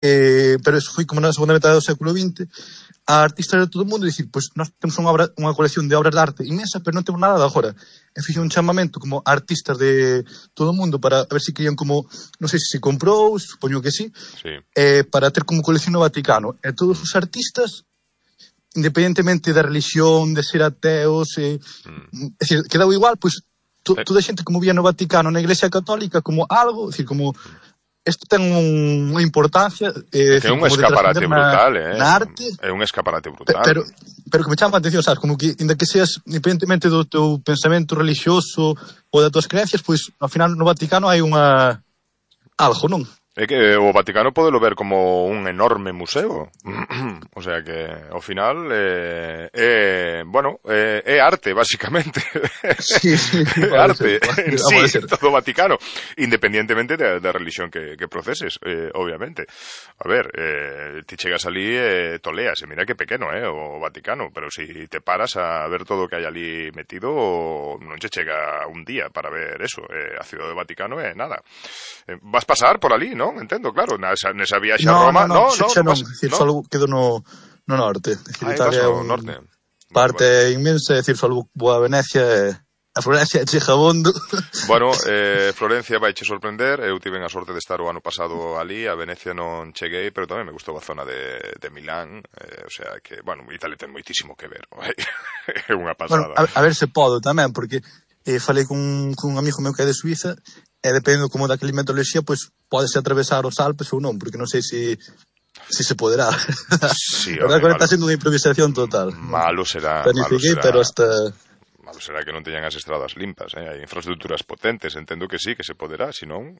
pero eso foi como na segunda metade do século XX, a artistas de todo o mundo dicir, pois nós temos unha colección de obras de arte inmensa, pero non temos nada de agora. E fixo un chamamento como a artistas de todo o mundo para a ver se querían como, non sei se comprou, supoño que sí, para ter como colección no Vaticano. E todos os artistas, independentemente da religión, de ser ateos, é dicir, quedou igual, pois toda a xente como vía no Vaticano, na Iglesia Católica, como algo, dicir, como isto ten unha importancia que é un escaparate brutal, na arte. É un escaparate brutal. Pero que me chama a atención, sabes, como que inda que seas independentemente do teu pensamento religioso ou das tuas creencias, pois ao final no Vaticano hai algo, non? É que o Vaticano podelo ver como un enorme museo. O sea que, ao final, é arte, basicamente. Sí, é arte en sí, todo o Vaticano. Independientemente da religión que proceses, obviamente. A ver, ti chegas ali e toleas, e mira que pequeno, o Vaticano, pero si te paras a ver todo o que hai ali metido, non che chega un día para ver eso. A Ciudad do Vaticano é nada. Vas pasar por ali, non? Entendo, claro, nesa viaxe a Roma, non, só quedo no norte. Italia é un norte. Parte inmensa, é dicir, só vou a Venecia e a Florencia chega abondo. Bueno, Florencia vai che sorprender, eu tive a sorte de estar o ano pasado ali, a Venecia non cheguei, pero tamén me gustou a zona de Milán, o sea que, bueno, Italia ten moitísimo que ver, é unha pasada. Bueno, a ver se podo tamén, porque falei con un amigo meu que é de Suiza, e dependendo como da climatoloxía, pois podese atravesar os Alpes ou non, porque non sei se se poderá. Sí, a verdade que está sendo unha improvisación total. Malo será. Planifiquei, pero hasta... Malo será que non teñan as estradas limpas, hai infraestructuras potentes, entendo que sí, que se poderá, senón...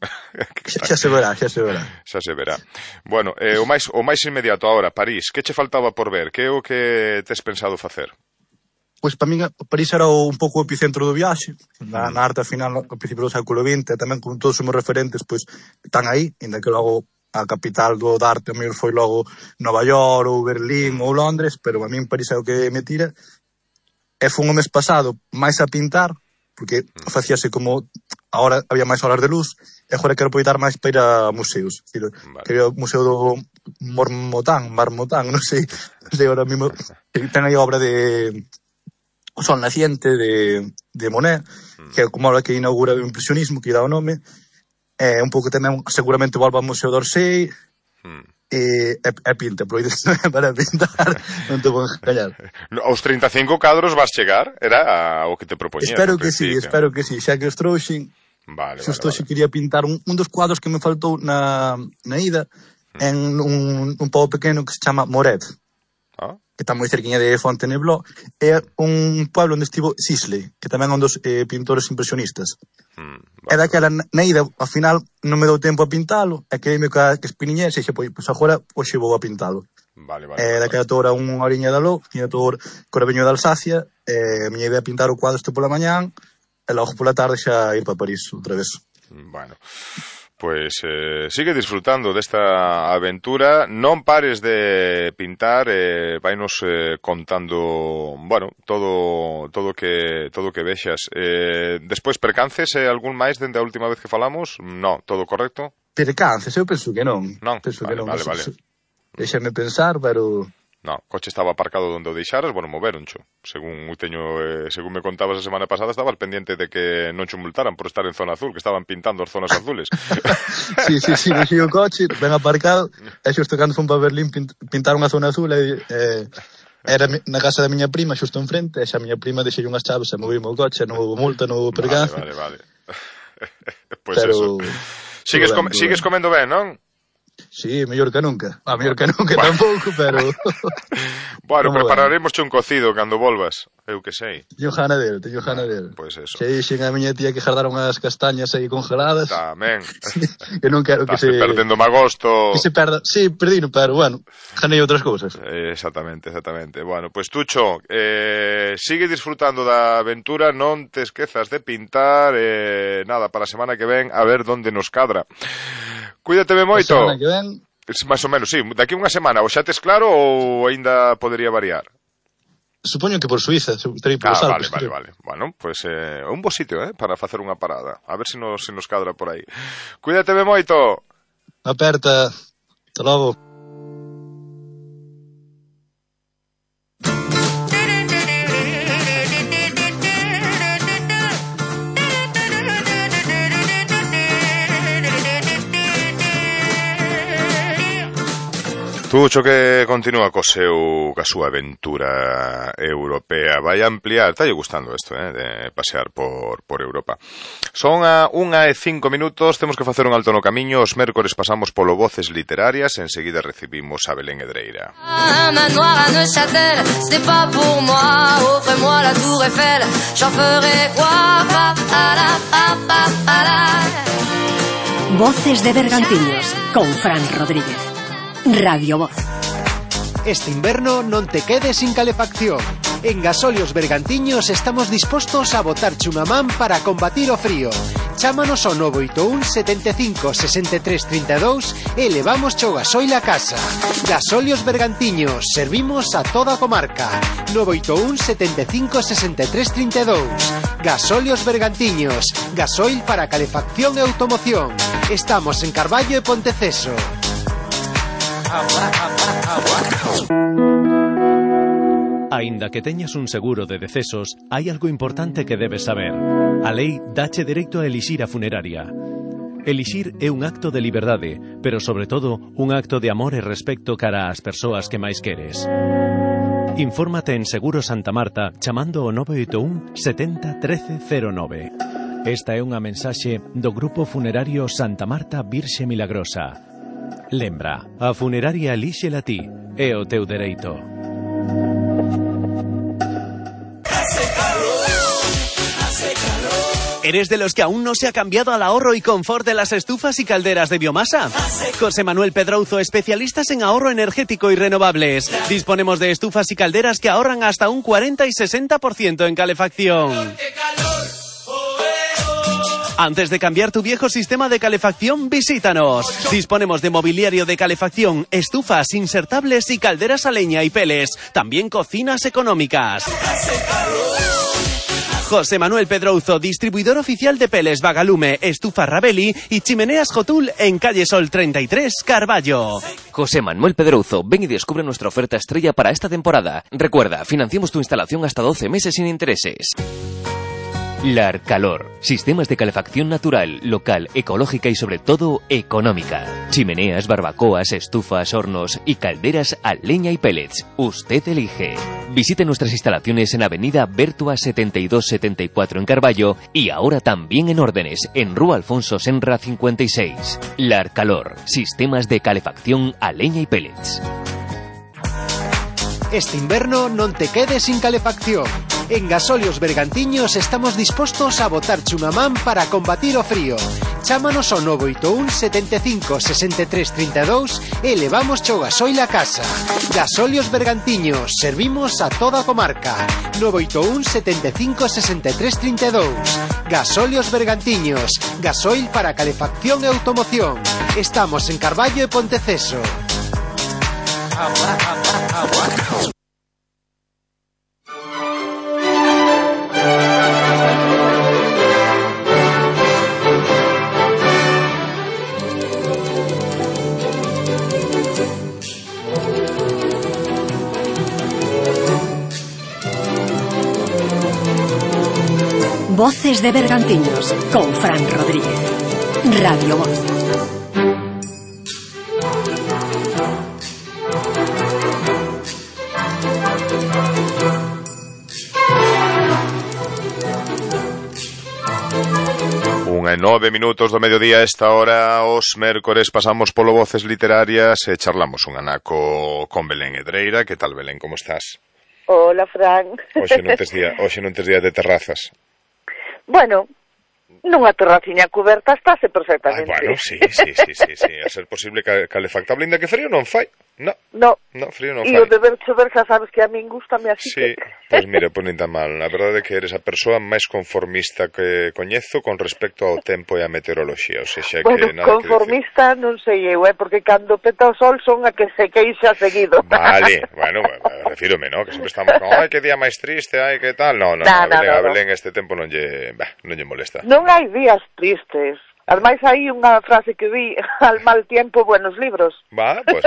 xa se verá. Xa se verá. Bueno, o máis inmediato agora, París, que che faltaba por ver? Que é o que tes pensado facer? Pois para min París era un pouco o epicentro do viaxe, na arte final, ao principio do século XX, tamén con todos os meus referentes, pois están aí, ainda que logo a capital do arte, o mellor foi logo Nova York, ou Berlín, ou Londres, pero a min París é o que me tira. E foi un mes pasado máis a pintar, porque facíase como, agora había máis horas de luz, e agora quero aproveitar máis para ir a museos. Quería o museo do Marmotán, non sei agora mesmo, ten aí a obra de... O Sol Naciente de Monet, que é como a que inaugura o impresionismo, que dá o nome, un pouco tamén seguramente volva ao Museo d'Orsay, e pinta, para pintar, non te vou engañar. Aos 35 cadros vas chegar, era o que te propoñía. Espero que sí, xa que os trouxen, xusto xe quería pintar un dos cuadros que me faltou na ida, en un pobo pequeno que se chama Moret, que está moi cerquiña de Fontainebleau, é un pueblo onde estivo Sisley, que tamén é un dos pintores impresionistas. E daquela na ida, ao final, non me dou tempo a pintalo, e quereime que espiniñe, e xe, pois agora, hoxe vou a pintalo. E daquela toda unha horiña da lo, tiña todo Corveño de Alsacia, e a miña idea é pintar o cuadro este pola mañán, e logo pola tarde xa ir para París outra vez. Bueno... Pois sigue disfrutando desta aventura, non pares de pintar, vainos contando, bueno, todo que vexas. Despois percances algún máis dende a última vez que falamos? No, todo correcto? Percances, eu penso que non. Non, vale. Déxame pensar, pero... No, o coche estaba aparcado onde o deixaras, bueno, moveroncho. Según me contabas a semana pasada, estabas pendiente de que non cho multaran por estar en zona azul, que estaban pintando as zonas azules. Sí, deixei o coche, ben aparcado, e xusto cando fun para Berlín pintar unha zona azul, era na casa da miña prima, xusto enfrente, e xa a miña prima deixei unhas chaves e movime o coche, non houve multa, non houve percance. Vale. Pois eso. Sigues comendo ben, non? Sí, mellor que nunca. Mellor que nunca tampouco, pero... Bueno, prepararemos un cocido cando volvas. Eu que sei. Teño gana del. Pois eso. Se dixen a miña tía que jardar unhas castañas aí congeladas. Tamén. Que non quero que se... perdendo magosto. Que se perda. Sí, perdino, pero bueno, janei outras cousas. Exactamente. Bueno, pois Tucho, sigue disfrutando da aventura, non te esquezas de pintar, nada, para a semana que ven, a ver onde nos cadra. Cuídate moito. A semana que ven... Más ou menos, sí. Daqui unha semana, o xa tes claro ou aínda podería variar? Supoño que por Suiza, terei por os Alpes. Vale. Bueno, pues un bo sitio, para facer unha parada. A ver se nos cadra por aí. Cuídate moito. Aperta. Hasta logo. Tucho que continúa ca súa aventura europea. Vai ampliar, está lle gustando isto, de pasear por Europa. Son a 1:05, temos que facer un alto no camiño. Os mércores pasamos polo Voces Literarias, enseguida recibimos a Belén Edreira. Voces de Bergantiños, con Fran Rodríguez. Radio Voz. Este inverno non te quedes sin calefacción. En Gasolios Bergantiños estamos dispostos a botarche unha man para combatir o frío. Chámanos ao 981 75 63 32 e levamos o gasoil a casa. Gasolios Bergantiños, servimos a toda a comarca. 981 75 63 32. Gasolios Bergantiños, gasoil para calefacción e automoción. Estamos en Carballo e Ponteceso. Aínda que teñas un seguro de decesos, hai algo importante que debes saber. A lei dache dereito a elixir a funeraria. Elixir é un acto de liberdade, pero sobre todo un acto de amor e respecto cara ás persoas que máis queres. Infórmate en Seguro Santa Marta chamando ao 981 70 13 09. Esta é unha mensaxe do Grupo Funerario Santa Marta Virxe Milagrosa. Lembra, a funeraria elíxela ti, é o teu dereito. ¿Eres de los que aún no se ha cambiado al ahorro y confort de las estufas y calderas de biomasa? José Manuel Pedrouzo, especialistas en ahorro energético y renovables. Disponemos de estufas y calderas que ahorran hasta un 40 y 60% en calefacción. Antes de cambiar tu viejo sistema de calefacción, visítanos. Disponemos de mobiliario de calefacción, estufas insertables y calderas a leña y peles. También cocinas económicas. José Manuel Pedrouzo, distribuidor oficial de peles Vagalume, estufa Rabelli y chimeneas Jotul en calle Sol 33, Carballo. José Manuel Pedrouzo, ven y descubre nuestra oferta estrella para esta temporada. Recuerda, financiamos tu instalación hasta 12 meses sin intereses. Larcalor. Sistemas de calefacción natural, local, ecológica y sobre todo económica. Chimeneas, barbacoas, estufas, hornos y calderas a leña y pellets. Usted elige. Visite nuestras instalaciones en Avenida Bertua 7274 en Carballo y ahora también en Órdenes, en Rúa Alfonso Senra 56. Larcalor. Sistemas de calefacción a leña y pellets. Este inverno non te quedes sin calefacción. En Gasolios Bergantiños estamos dispostos a botarche unha man para combatir o frío. Chámanos ao 981 75 63 32 e levamos o gasoil a casa. Gasolios Bergantiños, servimos a toda a comarca. 981 75 63 32. Gasolios Bergantiños, gasoil para calefacción e automoción. Estamos en Carballo e Ponteceso. Voces de Bergantiños, con Fran Rodríguez. Radio Voz. Unha e 9 minutos do mediodía. A esta hora, os mércores, pasamos polo Voces Literarias e charlamos un anaco con Belén Edreira. Que tal, Belén, como estás? Hola, Fran. Hoxe non tes día de terrazas. Bueno, nunha terraciña cuberta estáse perfectamente. Bueno, sí. A ser posible calefactable, ainda que frío non fai. No, frío non fai. E o de ver chover xa sabes que a min gustame así. Sí, pois mira, pues nin tan mal. A verdade é que eres a persoa máis conformista que coñezo con respecto ao tempo e a meteoroloxía. O sexa, bueno, que nada conformista que non sei eu, porque cando peta o sol son a que se queixa seguido. Vale, bueno, refírome, ¿no? Que sempre estamos con, ai, que día máis triste, ai, que tal. No, a Belén este tempo non lle molesta. Non hai días tristes. Ademais, hai unha frase que vi, al mal tiempo, buenos libros. Pues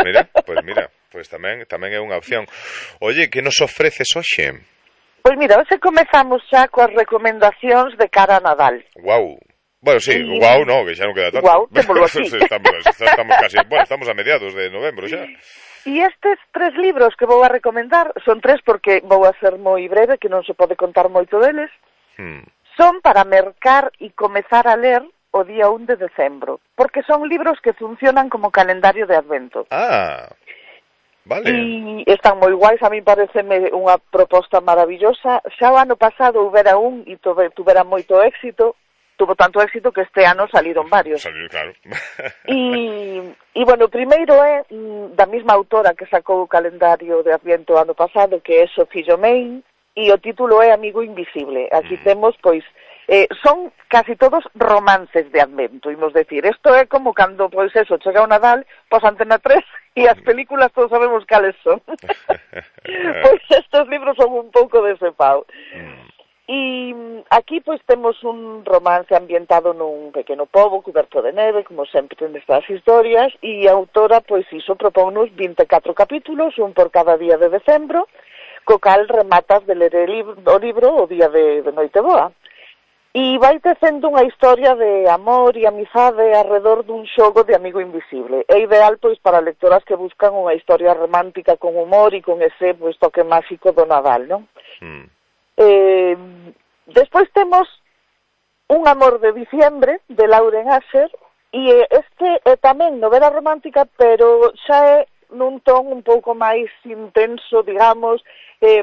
mira, pues tamén é unha opción. Oye, que nos ofreces hoxe? Pois mira, hoxe comezamos xa coas recomendacións de cara a Nadal. Guau. Bueno, sí, no, que xa non queda tanto. Guau, témolo aquí. Estamos casi, estamos a mediados de novembro xa. E estes 3 libros que vou a recomendar, son 3 porque vou a ser moi breve, que non se pode contar moito deles, son para mercar e comezar a ler o día 1 de decembro, porque son libros que funcionan como calendario de Advento. Vale. E están moi guais, a mí pareceme unha proposta maravillosa. Xa o ano pasado houbera un e tuvera moito éxito, tuvo tanto éxito que este ano saliron varios. Claro. E bueno, o primeiro é da mesma autora que sacou o calendario de Adviento ano pasado, que é Sophie Jomain, e o título é Amigo Invisible. Aquí temos, pois, son casi todos romances de Advento, imos decir. Isto é como cando, pois eso, chega o Nadal, pois Antena 3, e as películas todos sabemos cales son. Pois estes libros son un pouco dese pau. E aquí pois temos un romance ambientado nun pequeno pobo coberto de neve, como sempre nestas historias, e a autora pois iso propónnos 24 capítulos, un por cada día de decembro, co cal rematas de ler o libro o día de Noiteboa. E vai tecendo unha historia de amor e amizade alrededor dun xogo de Amigo Invisible. É ideal pois para lectoras que buscan unha historia romántica con humor e con ese pois toque máxico do Nadal, non? Despois temos Un amor de diciembre de Lauren Asher, e este é tamén novela romántica, pero xa é nun ton un pouco máis intenso, digamos,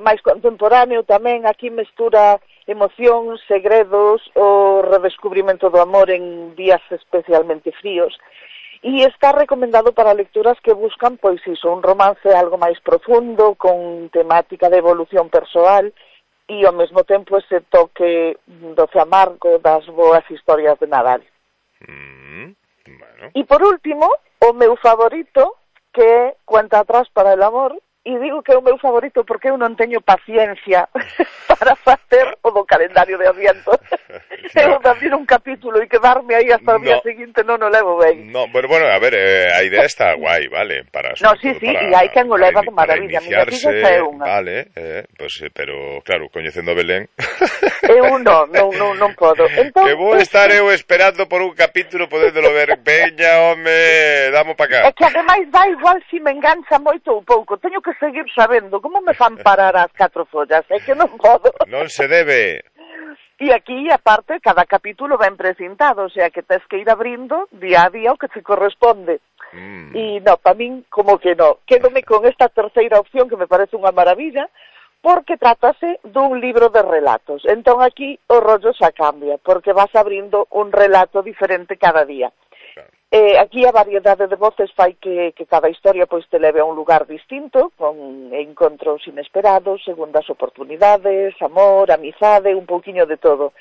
máis contemporáneo tamén. Aquí mestura emocións, segredos, o redescubrimento do amor en días especialmente fríos. E está recomendado para lecturas que buscan, pois iso, un romance algo máis profundo, con temática de evolución persoal, e ao mesmo tempo ese toque doce amargo das boas historias de Nadal. Bueno. E por último, o meu favorito, que é Cuenta atrás para el amor, e digo que é o meu favorito porque eu non teño paciencia para facer o do calendario de Adviento. Eu abrir un capítulo e quedarme aí hasta o día seguinte non o levo ben. No, bueno, a ver, a idea está guai, vale? Sí, e hai quen o leva de maravilla. Vale, pues, pero claro, coñecendo a Belén... Eu non podo. Entón, que vou estar eu esperando por un capítulo podéndolo ver. Veña, home, damos para cá. É que ademais dá igual se me engancha moito ou pouco. Teño que seguir sabendo como me fan parar as 4 follas. É que non podo. Non se debe. E aquí, aparte, cada capítulo ben precintado, o sea que tes que ir abrindo día a día o que te corresponde. E no, para min, como que no. Quédome con esta terceira opción que me parece unha maravilla, porque trátase dun libro de relatos. Entón aquí o rollo xa cambia, porque vas abrindo un relato diferente cada día. Aquí a variedade de voces fai que cada historia pois te leve a un lugar distinto, con encontros inesperados, segundas oportunidades, amor, amizade, un pouquiño de todo.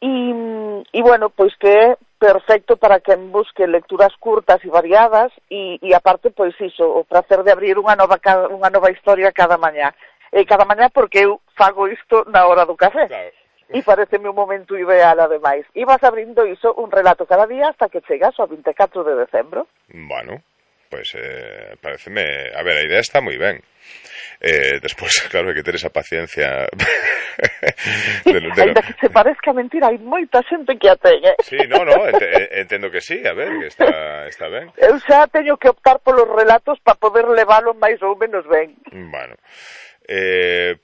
E bueno, pois que é perfecto para quen busque lecturas curtas e variadas e aparte, pois iso, o prazer de abrir unha nova historia cada mañá. Cada mañá porque eu fago isto na hora do café. Claro. E pareceme un momento ideal, ademais. E vas abrindo iso, un relato cada día, hasta que chegas ao 24 de decembro. Bueno, pues pareceme... A ver, a idea está moi ben. Despois, claro, hai que ter esa paciencia. Ainda que se parezca mentira, hai moita xente que a ten, Sí, no, entendo que sí, a ver, que está ben. Eu xa teño que optar polos relatos para poder levalo máis ou menos ben. Bueno...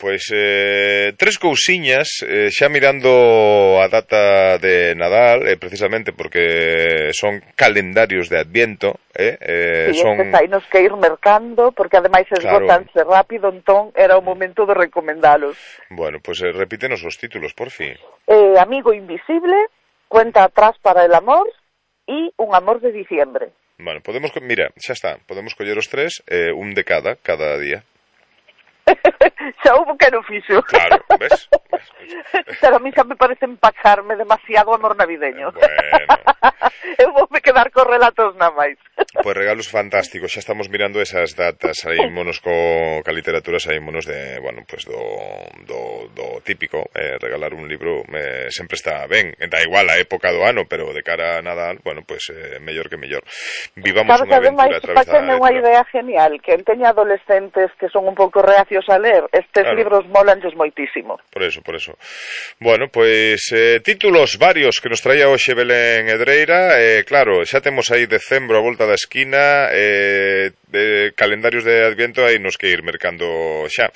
Pois 3 cousiñas, xa mirando a data de Nadal, precisamente porque son calendarios de Adviento, son... hai nos que ir mercando, porque ademais esgotanse rápido, entón era o momento de recomendalos. Bueno, pois repítenos os títulos, por fin. Amigo Invisible, Cuenta atrás para el amor e Un amor de diciembre. Bueno, mira, xa está, podemos coller os 3, un de cada día. Xa houve que non fixo. Claro, ves? Pero a mí xa me parece empacharme demasiado amor navideño. Bueno. Eu voume quedar con relatos na máis. Pois regalos fantásticos, xa estamos mirando esas datas, saímonos ca literatura, saímonos de, bueno, pues do típico, regalar un libro sempre está ben, da igual a época do ano, pero de cara a Nadal, bueno, pues mellor que mellor. Vivamos unha aventura a través da letra. Unha idea genial, que teña adolescentes que son un pouco reacios a ler, estes libros molanlles moitísimo. Por eso. Bueno, pues títulos varios que nos traía hoxe Belén Edreira, claro, xa temos aí decembro a volta da esquina, calendarios de Adviento aí nos que ir mercando xa,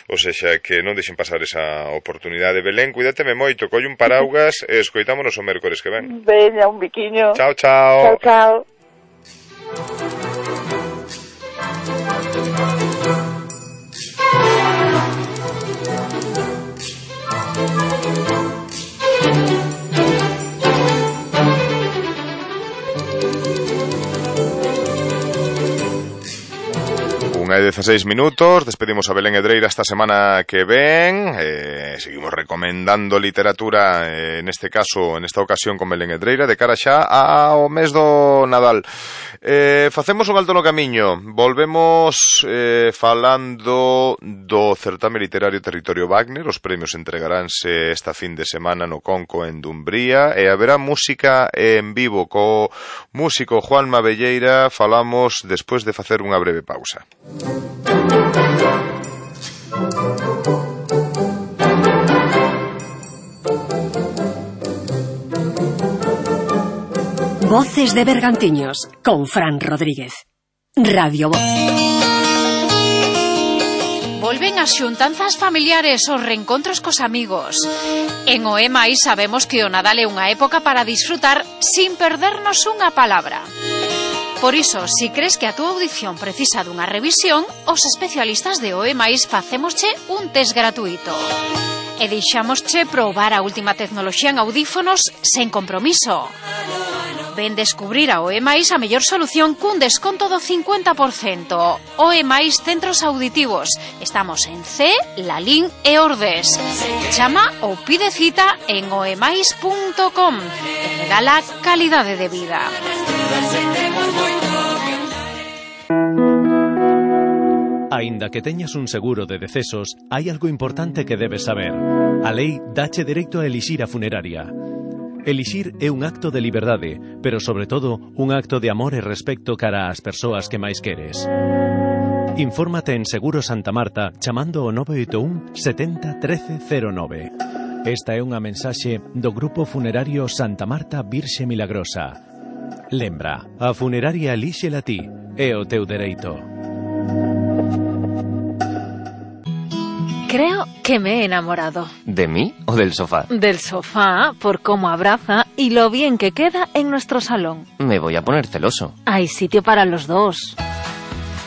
ou seja, que non deixen pasar esa oportunidade. Belén, cuídateme moito, colle un paraugas e escoitámonos o mércores que ven. Veña, un biquiño. Chao, chao. Chao, chao. Unha de 16 minutos, despedimos a Belén Edreira esta semana que ven, seguimos recomendando literatura, neste caso, nesta ocasión con Belén Edreira, de cara xa ao mes do Nadal. Facemos un alto no camiño, volvemos falando do certame literario Territorio Wagner, os premios entregaránse esta fin de semana no Conco en Dumbría, e haberá música en vivo co músico Juan Mabelleira, falamos despois de facer unha breve pausa. Voces de Bergantiños con Fran Rodríguez. Radio Voz. Volven as xuntanzas familiares, os reencontros cos amigos. En OEMAI sabemos que o Nadal é unha época para disfrutar sin perdernos unha palabra. Por iso, si crees que a túa audición precisa dunha revisión, os especialistas de OEMAIS facémosche un test gratuito. E deixámosche probar a última tecnoloxía en audífonos sen compromiso. Ven descubrir a OEMAIS a mellor solución cun desconto do 50%. OEMAIS Centros Auditivos. Estamos en C, Lalín e Ordes. Chama ou pide cita en oemais.com e regala calidade de vida. Aínda que teñas un seguro de decesos, hai algo importante que debes saber. A lei dache dereito a elixir a funeraria. Elixir é un acto de liberdade, pero sobre todo un acto de amor e respecto cara ás persoas que máis queres. Infórmate en Seguro Santa Marta chamando ao 981 70 13 09. Esta é unha mensaxe do Grupo Funerario Santa Marta Virxe Milagrosa. Lembra, a funeraria elíxela ti, é o teu dereito. Creo que me he enamorado. ¿De mí o del sofá? Del sofá, por cómo abraza y lo bien que queda en nuestro salón. Me voy a poner celoso. Hay sitio para los dos.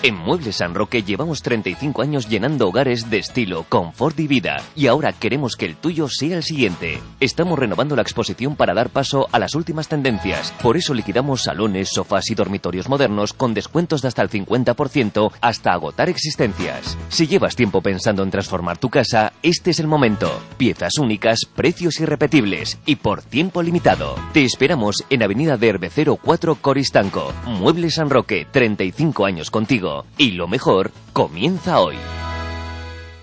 En Muebles San Roque llevamos 35 años llenando hogares de estilo, confort y vida. Y ahora queremos que el tuyo sea el siguiente. Estamos renovando la exposición para dar paso a las últimas tendencias. Por eso liquidamos salones, sofás y dormitorios modernos con descuentos de hasta el 50% hasta agotar existencias. Si llevas tiempo pensando en transformar tu casa, este es el momento. Piezas únicas, precios irrepetibles y por tiempo limitado. Te esperamos en Avenida de Herbecero 4 Coristanco. Muebles San Roque, 35 años contigo. Y lo mejor comienza hoy.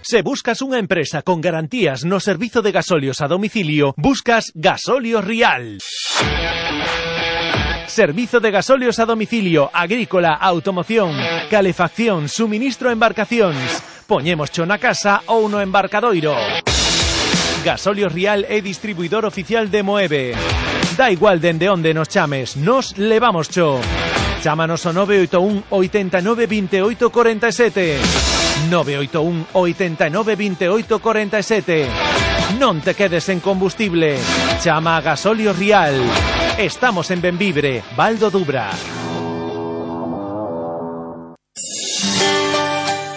Se buscas unha empresa con garantías no servizo de gasolios a domicilio, buscas Gasolios Rial. Servizo de gasolios a domicilio, agrícola, automoción, calefacción, suministro a embarcacións. Poñémoscho na casa ou no embarcadoiro. Gasolios Rial é distribuidor oficial de Moeve. Da igual dende onde nos chames, nos levamos cho. Chámanos ao 981 89 28 47. 981 89 28 47. Non te quedes en combustible. Chama a Gasolios Rial. Estamos en Benvibre, Val do Dubra.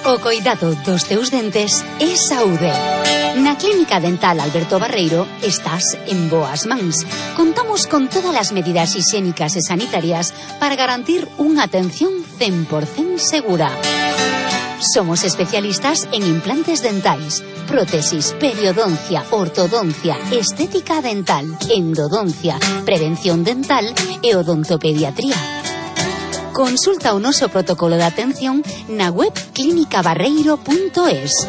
O coidado dos teus dentes é saúde. Na Clínica Dental Alberto Barreiro estás en boas mans. Contamos con todas as medidas higiénicas e sanitarias para garantir unha atención 100% segura. Somos especialistas en implantes dentais, prótesis, periodoncia, ortodoncia, estética dental, endodoncia, prevención dental e odontopediatría. Consulta o noso protocolo de atención na web clinicabarreiro.es.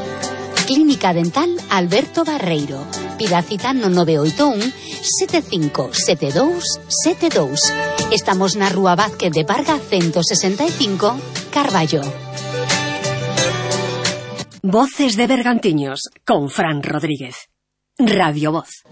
Clínica Dental Alberto Barreiro. Pida cita no 981 757272. Estamos na Rúa Vázquez de Varga 165, Carballo. Voces de Bergantiños con Fran Rodríguez. Radio Voz.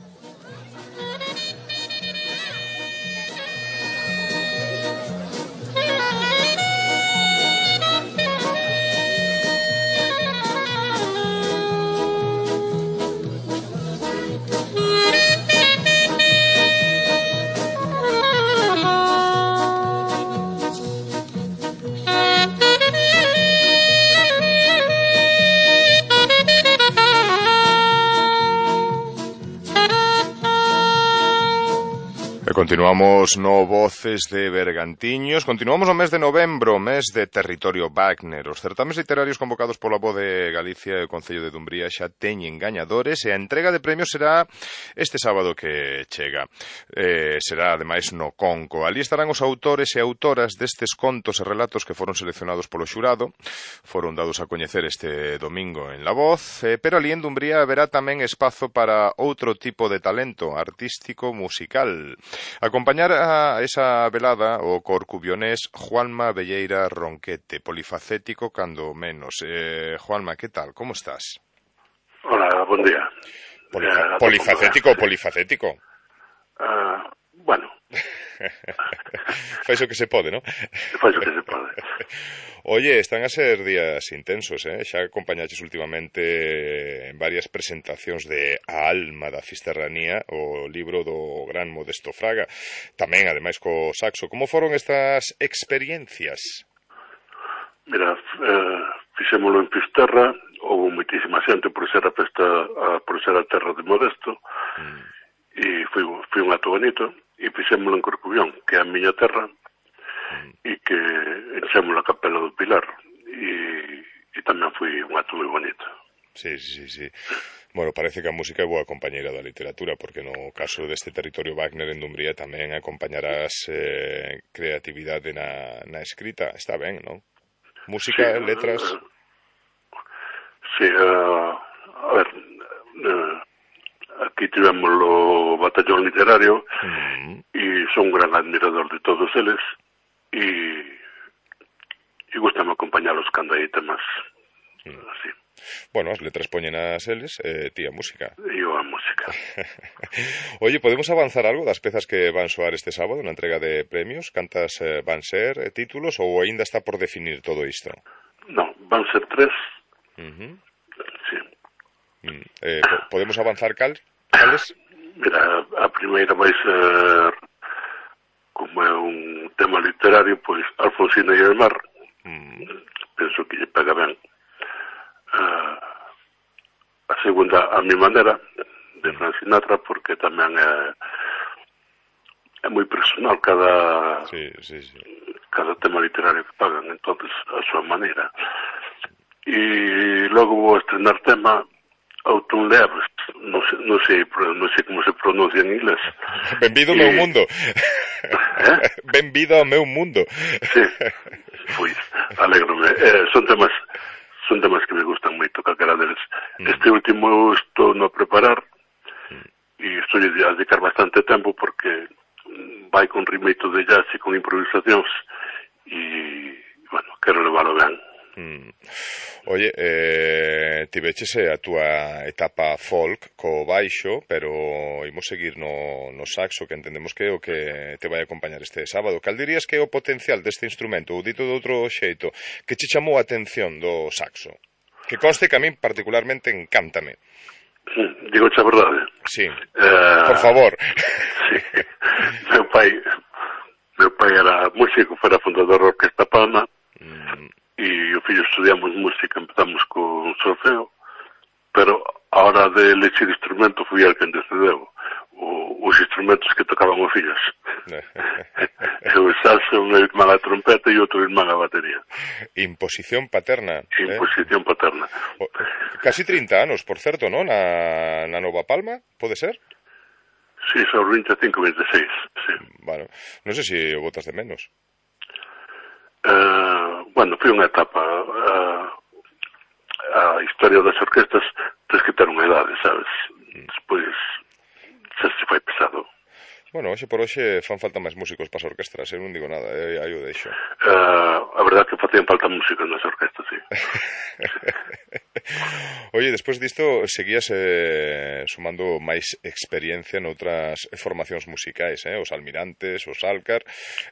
Continuamos no Voces de Bergantiños. Continuamos no mes de novembro, mes de territorio Wagner. Os certames literarios convocados pola Voz de Galicia e o Concello de Dumbría xa teñen gañadores e a entrega de premios será este sábado que chega. Será, ademais, no Conco. Ali estarán os autores e autoras destes contos e relatos que foron seleccionados polo xurado. Foron dados a coñecer este domingo en La Voz, pero ali en Dumbría haberá tamén espazo para outro tipo de talento artístico musical. Acompañar a esa velada o corcubionés Juanma Velleira Ronquete, polifacético cando menos. Juanma, que tal? Como estás? Hola, bon día. Polifacético ou polifacético? Bueno. Fai o que se pode, non? Fai o que se pode. Oye, están a ser días intensos, Xa acompañaches últimamente en varias presentacións de A Alma da Fisterranía, o libro do gran Modesto Fraga, tamén, ademais, co saxo. Como foron estas experiencias? Mira, fixémolo en Fisterra, houve moitísima xente por ser a terra de Modesto, e foi un ato bonito, e fixémolo en Corcubión, que é a miña terra, e que enxémolo a Capela do Pilar, e tamén foi un ato moi bonito. Sí. Bueno, parece que a música é boa compañeira da literatura, porque no caso deste territorio Wagner en Dumbría tamén acompañarás creatividade na escrita. Está ben, non? Música, letras... Sí, a ver... Aquí tivemos o batallón literario e son un gran admirador de todos eles e gustame acompañalos cando hai temas así. Bueno, as letras poñen as eles, ti a música. Eu a música. Oye, podemos avanzar algo das pezas que van soar este sábado na entrega de premios? Cantas van ser títulos ou aínda está por definir todo isto? Non, van ser 3. Sí. Podemos avanzar cales? Mira, a primeira vai ser, como é un tema literario, pois Alfonsina e el mar. Penso que lle pega ben. A segunda, A mi manera, de Frank Sinatra, porque tamén é moi personal cada tema literario que pagan, entonces a súa maneira. E logo vou estrenar tema Autumn Leaves, non sei como se pronuncia en inglés. Benvido ao meu mundo. Benvido ao meu mundo. Sí, pois, alégrome. Son temas que me gustan moito, calquera deles. Este último estou no preparar e estou a dedicar bastante tempo porque vai con ritmito de jazz e con improvisacións e, bueno, quero leválo ben. Oye, tiveches a túa etapa folk co baixo, pero imos seguir no saxo, que entendemos que é o que te vai acompañar este sábado. Cal dirías que é o potencial deste instrumento, ou dito de outro xeito, que che chamou a atención do saxo? Que conste que a min particularmente encántame. Digoche a verdade? Sí, por favor. Sí, meu pai era músico, fora fundador da Orquesta Palma, e o fillo estudiamos música, empezamos con solfeo, pero a hora de elegir instrumento fui el quen decideu os instrumentos que tocaban os fillos. O saxo, un irmán a trompeta e outro irmán a batería. Imposición paterna. Imposición paterna. Casi 30 anos, por certo, non? Na Nova Palma, pode ser? Sí, son 25, 26, sí. Bueno, non sei se o botas de menos. Bueno, foi unha etapa. A historia das orquestas tens que ter unha idade, sabes? Despois xa se foi pesado. Bueno, hoxe por hoxe fan falta máis músicos para as orquestras, eu non digo nada, aí o deixo. A verdade que facían falta músicos nas orquestas, sí. Oye, despois disto seguías sumando máis experiencia noutras formacións musicais, os Almirantes, os Alcar,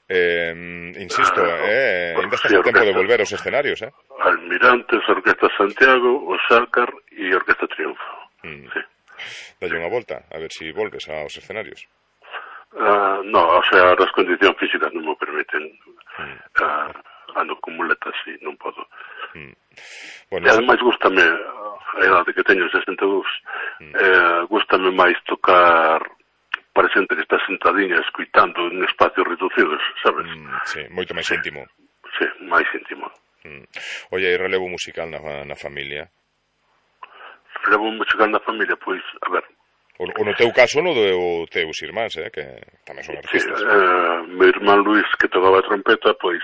insisto, ainda estás a tempo de volver aos escenarios, Almirantes, Orquesta Santiago, os Alcar e Orquesta Triunfo. Sí. Dalle unha volta, a ver si volves aos escenarios. No, o sea, as condicións físicas non me permiten. Ando con muletas e non podo. Bueno, e ademais gústame, a idade que teño, 62, gústame máis tocar para xente que está sentadiña escuitando en espacios reducidos, sabes? Sí, moito máis íntimo. Sí, máis íntimo. Oye, e relevo musical na familia? Relevo musical na familia, pois, a ver... O no teu caso, no do teus irmáns, que tamén son artistas. Meu irmán Luís, que tocaba a trompeta, pois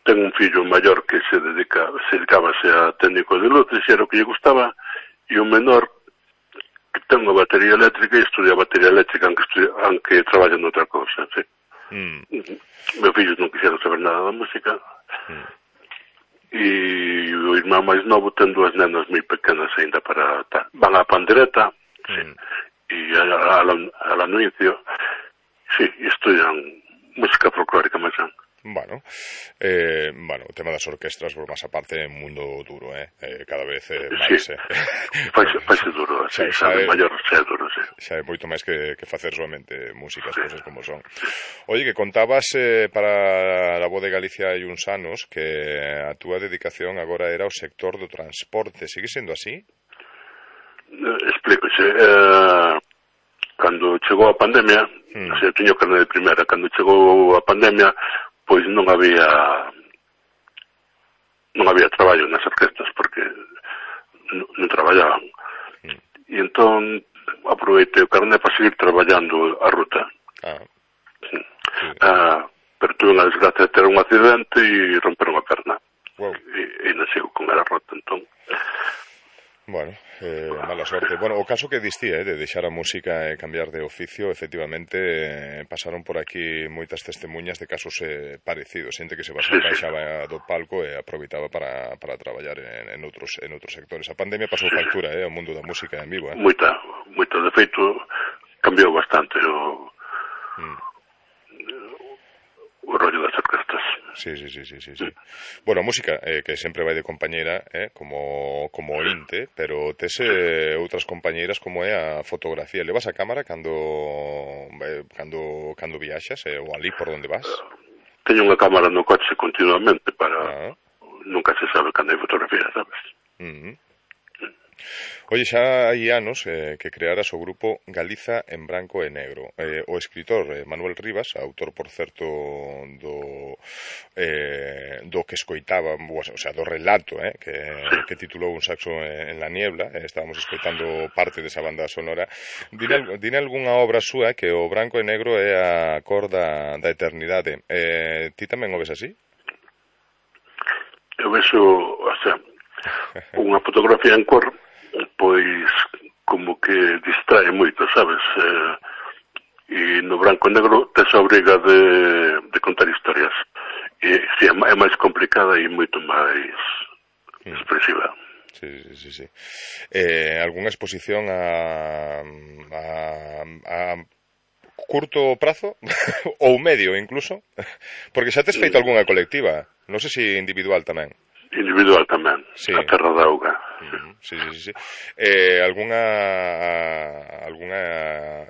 ten un fillo maior que se dedicábase a técnico de luces, e era o que lle gustaba, e un menor que ten unha batería eléctrica e estudia batería eléctrica, aunque traballa noutra cousa, sí. Meu fillo non quixera saber nada da música, e o irmán máis novo ten dúas nenas moi pequenas ainda para... Van á pandereta, e a la Anuicio, sí, e estudian música folclórica máis ben. Bueno, o tema das orquestras, por máis aparte, é un mundo duro, cada vez máis. Sí, faise duro, xa é maior, xa é duro, sí. Xa é moito máis que facer solamente música, as cousas como son. Oye, que contabas para a Voz de Galicia hai uns anos que a túa dedicación agora era o sector do transporte, sigue sendo así? Explícoxe, cando chegou a pandemia, eu teño carne de primeira, cando chegou a pandemia, pois non había traballo nas orquestas porque non traballaban. E entón aproveitei o carné para seguir traballando a ruta. Pero tuve unha desgracia de ter un accidente e romper unha perna. E non sigo con ela rota, entón... Bueno, mala sorte. Bueno, o caso que distí, de deixar a música e cambiar de oficio, efectivamente, pasaron por aquí moitas testemunhas de casos parecidos, xente que se baixaba do palco e aproveitaba para traballar en outros sectores. A pandemia pasou factura, ao mundo da música en vivo. Moita, de feito, cambiou bastante o rollo das orquestas. Sí. Bueno, a música, que sempre vai de compañeira, como o inte, pero tes outras compañeiras como é a fotografía. Levas a cámara cando viaxas, ou ali por onde vas? Teño unha cámara no coche continuamente para... Nunca se sabe cando hai fotografía, sabes? Oye, xa hai anos que crearas o grupo Galiza en branco e negro. O escritor Manuel Rivas, autor, por certo, do que escoitaba, o sea, do relato que titulou Un saxo en la niebla, estábamos escoitando parte desa banda sonora. Dine algunha obra súa que o branco e negro é a cor da eternidade. Ti tamén o ves así? Eu vexo, o sea, unha fotografía en cor, pois como que distrae moito, sabes? E no branco e negro tes a obriga de contar historias. E si, é máis complicada e moito máis expresiva. Sí. Algunha exposición a curto prazo ou medio incluso? Porque xa tes feito algunha colectiva, non sei se individual tamén. Individual tamén, sí. A Terra da Auga. Sí. Algunha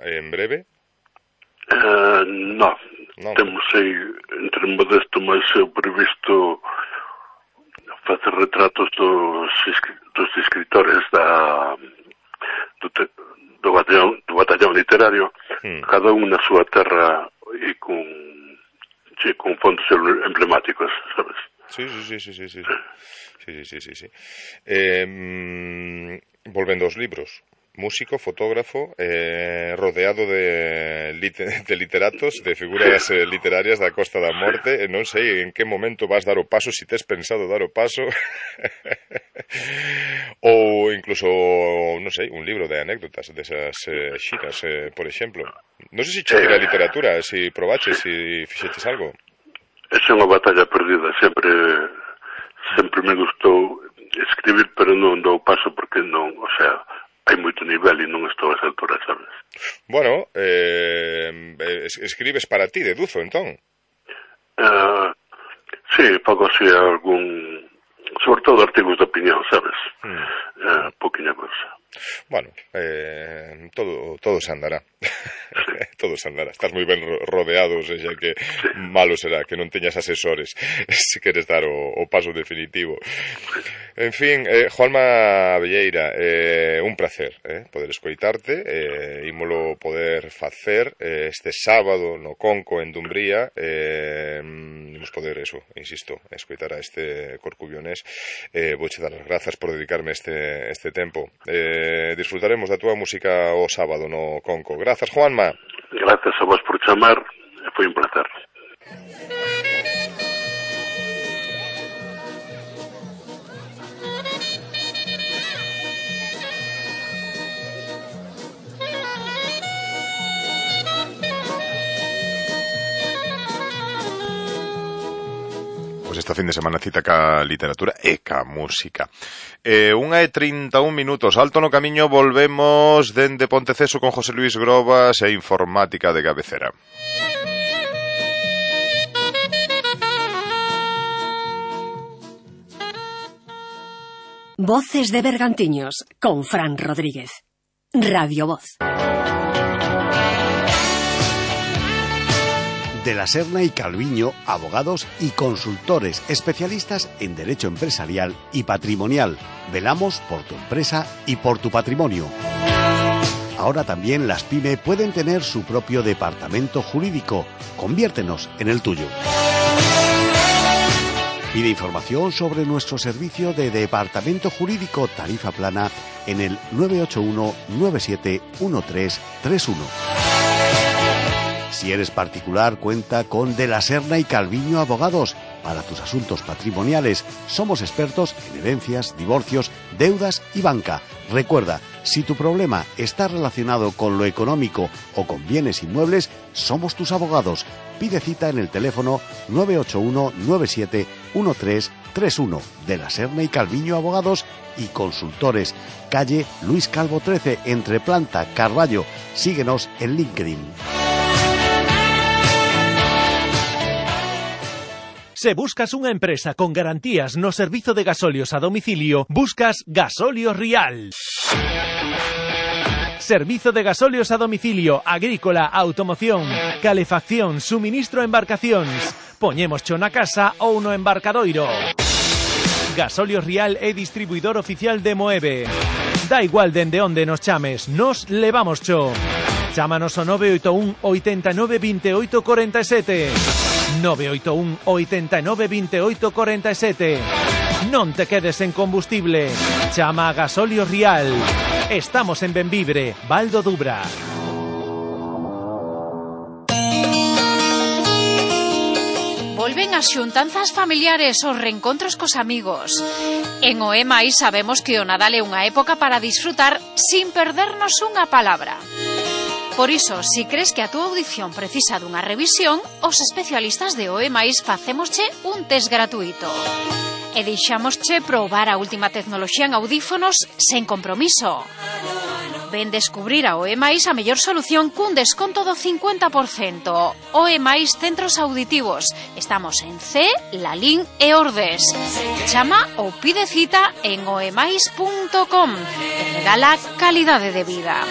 en breve? No. Temos aí, entre modesto, máis previsto facer retratos dos escritores do batallón literario, cada un na súa terra e con fondos emblemáticos, sabes? Sí. Volvendo aos libros, músico, fotógrafo, rodeado de literatos, de figuras literarias da Costa da Morte. Non sei en que momento vas dar o paso, se tes pensado dar o paso, ou incluso, non sei, un libro de anécdotas desas xiras, por exemplo. Non sei se che tira a literatura, se probaches, se fixeches algo. Esa é unha batalla perdida, sempre me gustou escribir, pero non dou paso porque non, o sea, hai moito nivel e non estou a esa altura, sabes? Bueno, escribes para ti, deduzo, entón? Sí, fago así algún, sobre todo artigos de opinión, sabes? Pouquinha cosa. Bueno, todo se andará. Todo se andará. Estás moi ben rodeado, xa que malo será que non teñas asesores se queres dar o paso definitivo. En fin, Juanma Velleira, un placer poder escoitarte, ímolo poder facer este sábado no Conco en Dumbría, imos poder, eso, insisto, escoitar a este corcubionés. Vouche dar as grazas por dedicarme este tempo. Disfrutaremos da túa música o sábado no Conco. Grazas, Juanma. Grazas a vos por chamar, foi un placer. Pois esta fin de semana cita ca literatura e ca música. 1:31 minutos, alto no camiño, volvemos dende Ponteceso con José Luis Grobas e Informática de cabecera. Voces de Bergantiños con Fran Rodríguez. Radio Voz. De la Serna y Calviño, abogados y consultores especialistas en derecho empresarial y patrimonial. Velamos por tu empresa y por tu patrimonio. Ahora también las PYME pueden tener su propio departamento jurídico. Conviértenos en el tuyo. Pide información sobre nuestro servicio de departamento jurídico tarifa plana en el 981 971331. Si eres particular, cuenta con De la Serna y Calviño Abogados. Para tus asuntos patrimoniales, somos expertos en herencias, divorcios, deudas y banca. Recuerda, si tu problema está relacionado con lo económico o con bienes inmuebles, somos tus abogados. Pide cita en el teléfono 981 971331. De la Serna y Calviño Abogados y Consultores. Calle Luis Calvo 13, entre Planta, Carballo. Síguenos en LinkedIn. Se buscas unha empresa con garantías no servizo de gasolios a domicilio, buscas Gasolios Rial. Servizo de gasolios a domicilio, agrícola, automoción, calefacción, suministro a embarcacións. Poñémoscho na casa ou no embarcadoiro. Gasolios Rial é distribuidor oficial de Moeve. Da igual dende onde nos chames, nos levamoscho. Chámanos ao 981 89 28 47. 981 89 28 47. Non te quedes en combustible. Chama a Gasolios Rial. Estamos en Benvibre, Val do Dubra. Volven as xuntanzas familiares, os reencontros cos amigos. En OEMAI sabemos que o Nadal é unha época para disfrutar sin perdernos unha palabra. Por iso, si crees que a túa audición precisa dunha revisión, os especialistas de OEMAIS facémosche un test gratuito. E deixámosche probar a última tecnoloxía en audífonos sen compromiso. Ven descubrir a OEMAIS a mellor solución cun desconto do 50%. OEMAIS Centros Auditivos. Estamos en C, Lalín e Ordes. Chama ou pide cita en oemais.com. Te regala calidade de vida.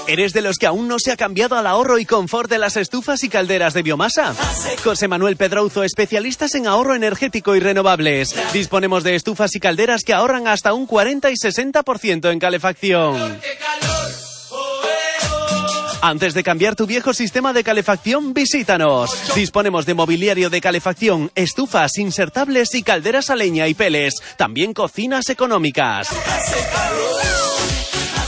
¿Eres de los que aún no se ha cambiado al ahorro y confort de las estufas y calderas de biomasa? José Manuel Pedrouzo, especialistas en ahorro energético y renovables. Disponemos de estufas y calderas que ahorran hasta un 40 y 60% en calefacción. Antes de cambiar tu viejo sistema de calefacción, visítanos. Disponemos de mobiliario de calefacción, estufas, insertables y calderas a leña y pellets. También cocinas económicas.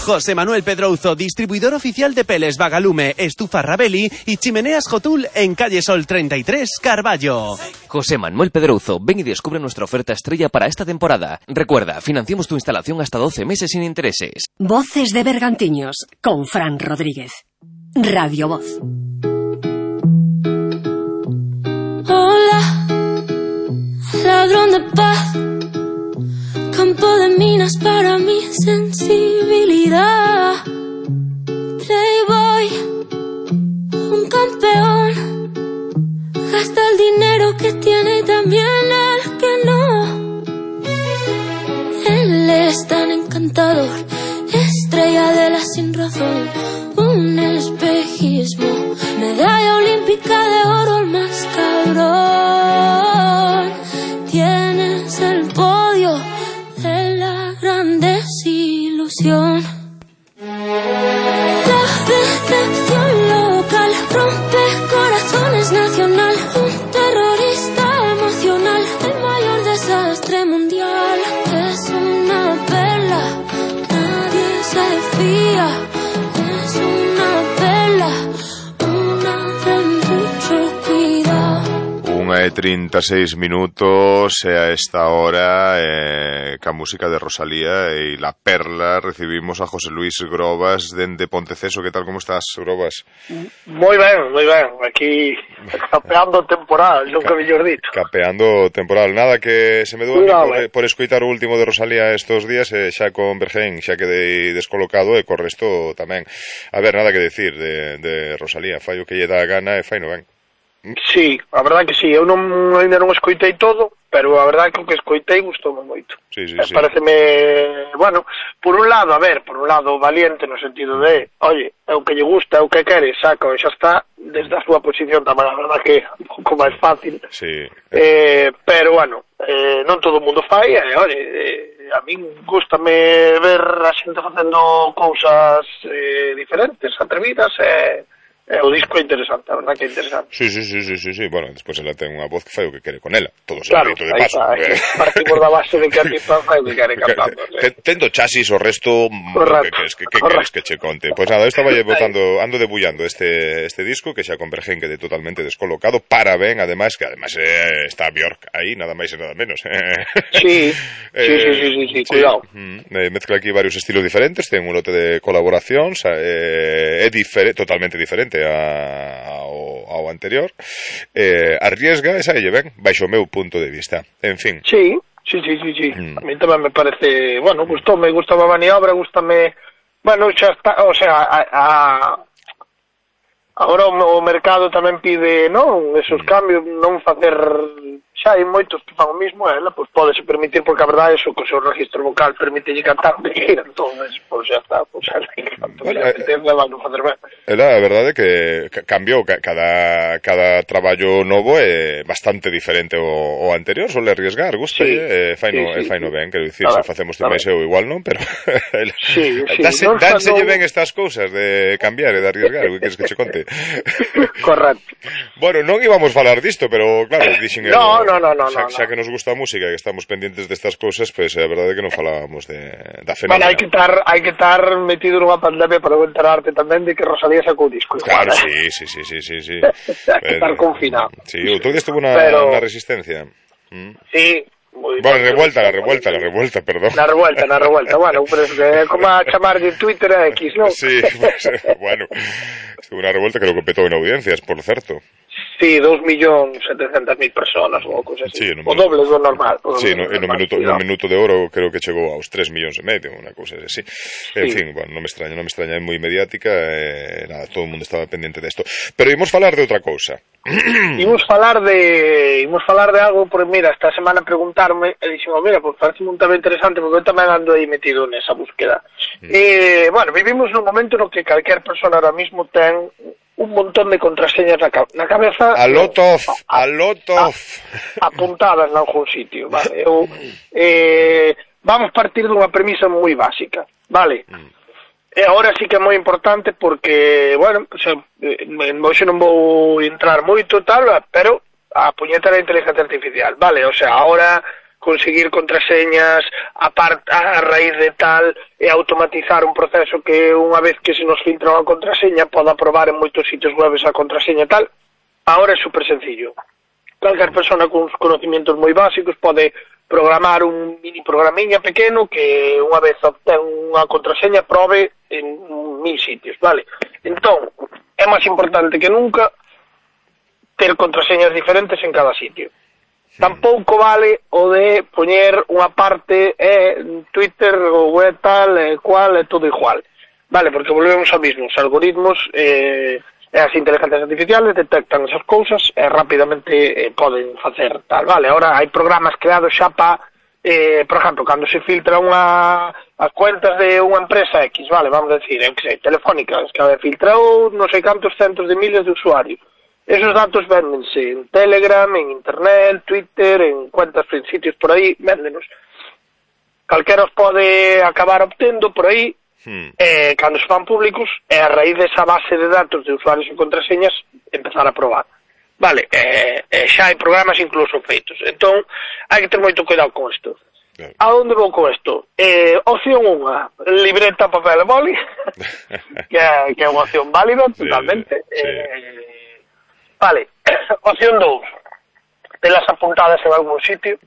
José Manuel Pedrouzo, distribuidor oficial de pellets Vagalume, estufa Rabelli y chimeneas Jotul en calle Sol 33, Carballo. José Manuel Pedrouzo, ven y descubre nuestra oferta estrella para esta temporada. Recuerda, financiamos tu instalación hasta 12 meses sin intereses. Voces de Bergantiños, con Fran Rodríguez. Radio Voz. Hola, ladrón de paz. Campo de minas para mi sensibilidad. Playboy, un campeón. Gasta el dinero que tiene y también el que no. Él es tan encantador, estrella de la sin razón. Un espejismo, medalla olímpica de oro, el más cabrón. Tienes el podio de la gran desilusión. La decepción local rompe corazones nacional. Un terrorista emocional, el mayor desastre mundial. Es una perla, nadie se fía. Es una perla, una de mucho cuidado. 1:36 minutos a esta hora ca música de Rosalía y La Perla. Recibimos a José Luis Grobas dende Ponteceso. Que tal, como estás, Grobas? Moi ben, aquí capeando temporal, nunca mellor dito. Capeando temporal, nada que se me dou por escoitar o último de Rosalía estos días, xa con Bergén, xa quedei descolocado e co resto tamén. A ver, nada que decir de Rosalía, fai o que lle dá a gana e fai no ben. Sí, a verdade que sí, eu ainda non escoitei todo, pero a verdade que o que escoitei gustoume moito. Sí. Pareceme, bueno, por un lado valiente no sentido de, oye, é o que lle gusta, é o que quere, saca, e xa está, desde a súa posición tamén, a verdade que é un pouco máis fácil. Sí. Pero, bueno, non todo o mundo fai, oye, a min gustame ver a xente facendo cousas diferentes, atrevidas, o disco é interesante, a verdad que é interesante. Sí, bueno, despois ela ten unha voz que fai o que quere con ela, todo se claro, de paso. Partimos da base de que a artista fai o que quere cantando. Tendo chasis o resto, que queres que che conte? Pois nada, eu estaba ando debullando este disco, que xa con Bergén quede totalmente descolocado, para ben, ademais, que ademais está Björk aí, nada máis e nada menos. Sí, cuidado. Mezcla aquí varios estilos diferentes, ten un lote de colaboracións, é totalmente diferente ao anterior, arriesga, esa lle ben, baixo o meu punto de vista, en fin. Sí. A mí tamén me parece, bueno, gustame a maniobra, gustame, bueno, xa está, o sea, agora o mercado tamén pide, non, esos cambios, non facer, xa hai moitos que fan o mismo, ela, pois pódese permitir, porque a verdade é que o seu registro vocal permítelle cantar de gira, entonces, pois xa está, pois xa que canto, non facer ben. Ela, a verdade é que cambiou, cada traballo novo é bastante diferente ao anterior, sole arriesgar, gustalle, faino ben, quero dicir, se facemos máis eu igual non, pero dánselle ben estas cousas de cambiar e de arriesgar, o que queres que che conte? Correcto. Bueno, non íbamos falar disto, pero claro, dixen No. Xa que nos gusta a música e que estamos pendientes destas cousas, pois a verdade é que non falábamos da fenómena. Bueno, hai que estar metido nunha pandemia para enterarte tamén de que Rosalía sacou disco. Claro, sí. Hai que estar confinado. Sí, outro día estuvo na Resistencia. Sí. Bueno, la revuelta, perdón. Na revuelta, bueno, pero é como a chamar de Twitter a X, non? Sí, bueno, estuvo unha revuelta que lo competó en audiencias, por certo. Sí, 2.700.000 personas ou cousa así. Sí, o doble do normal. Sí, no minuto de oro creo que chegou aos 3,5 millones, unha cousa así. En fin, bueno, non me extraña, é moi mediática, nada, todo o mundo estaba pendiente desto. Pero imos falar de outra cousa. Imos falar de algo, porque mira, esta semana preguntarme, e dixen, mira, pues parece un tema interesante, porque eu tamén ando aí metido nesa búsqueda. Bueno, vivimos nun momento no que calquer persona ahora mismo ten un montón de contraseñas na cabeza. A lot of. Apuntadas en algún sitio, vale. Vamos partir dunha premisa moi básica, vale. agora sí que é moi importante porque, bueno, hoxe non vou entrar moito tal, pero a puñeta da inteligencia artificial, vale, o sea, agora conseguir contraseñas a raíz de tal e automatizar un proceso que unha vez que se nos filtra unha contraseña poda probar en moitos sitios web esa contraseña tal, agora é super sencillo. Calquer persona con uns conocimientos moi básicos pode programar un mini programiña pequeno que unha vez obtén unha contraseña probe en 1000 sitios, vale? Entón, é máis importante que nunca ter contraseñas diferentes en cada sitio. Tampouco vale o de poñer unha parte Twitter ou tal, cual, é todo igual, vale? Porque volvemos ao mismo, os algoritmos as inteligencias artificiales detectan esas cousas e rapidamente poden facer tal, vale? Ahora hai programas creados xa para, por exemplo, cando se filtra as cuentas de unha empresa X, vale, vamos a decir, Telefónica, que filtrou non sei cantos centos de miles de usuarios. Esos datos véndense en Telegram, en Internet, Twitter, en cuentas, en sitios por aí, véndenos. Calquera os pode acabar obtendo por aí, cando se fan públicos, e a raíz desa base de datos de usuarios e contraseñas empezar a probar. Vale, xa hai programas incluso feitos. Entón, hai que ter moito cuidado con isto. A onde vou con isto? Opción 1, libreta, papel e boli, que é unha opción válida, totalmente. Vale, opción 2, telas apuntadas en algún sitio.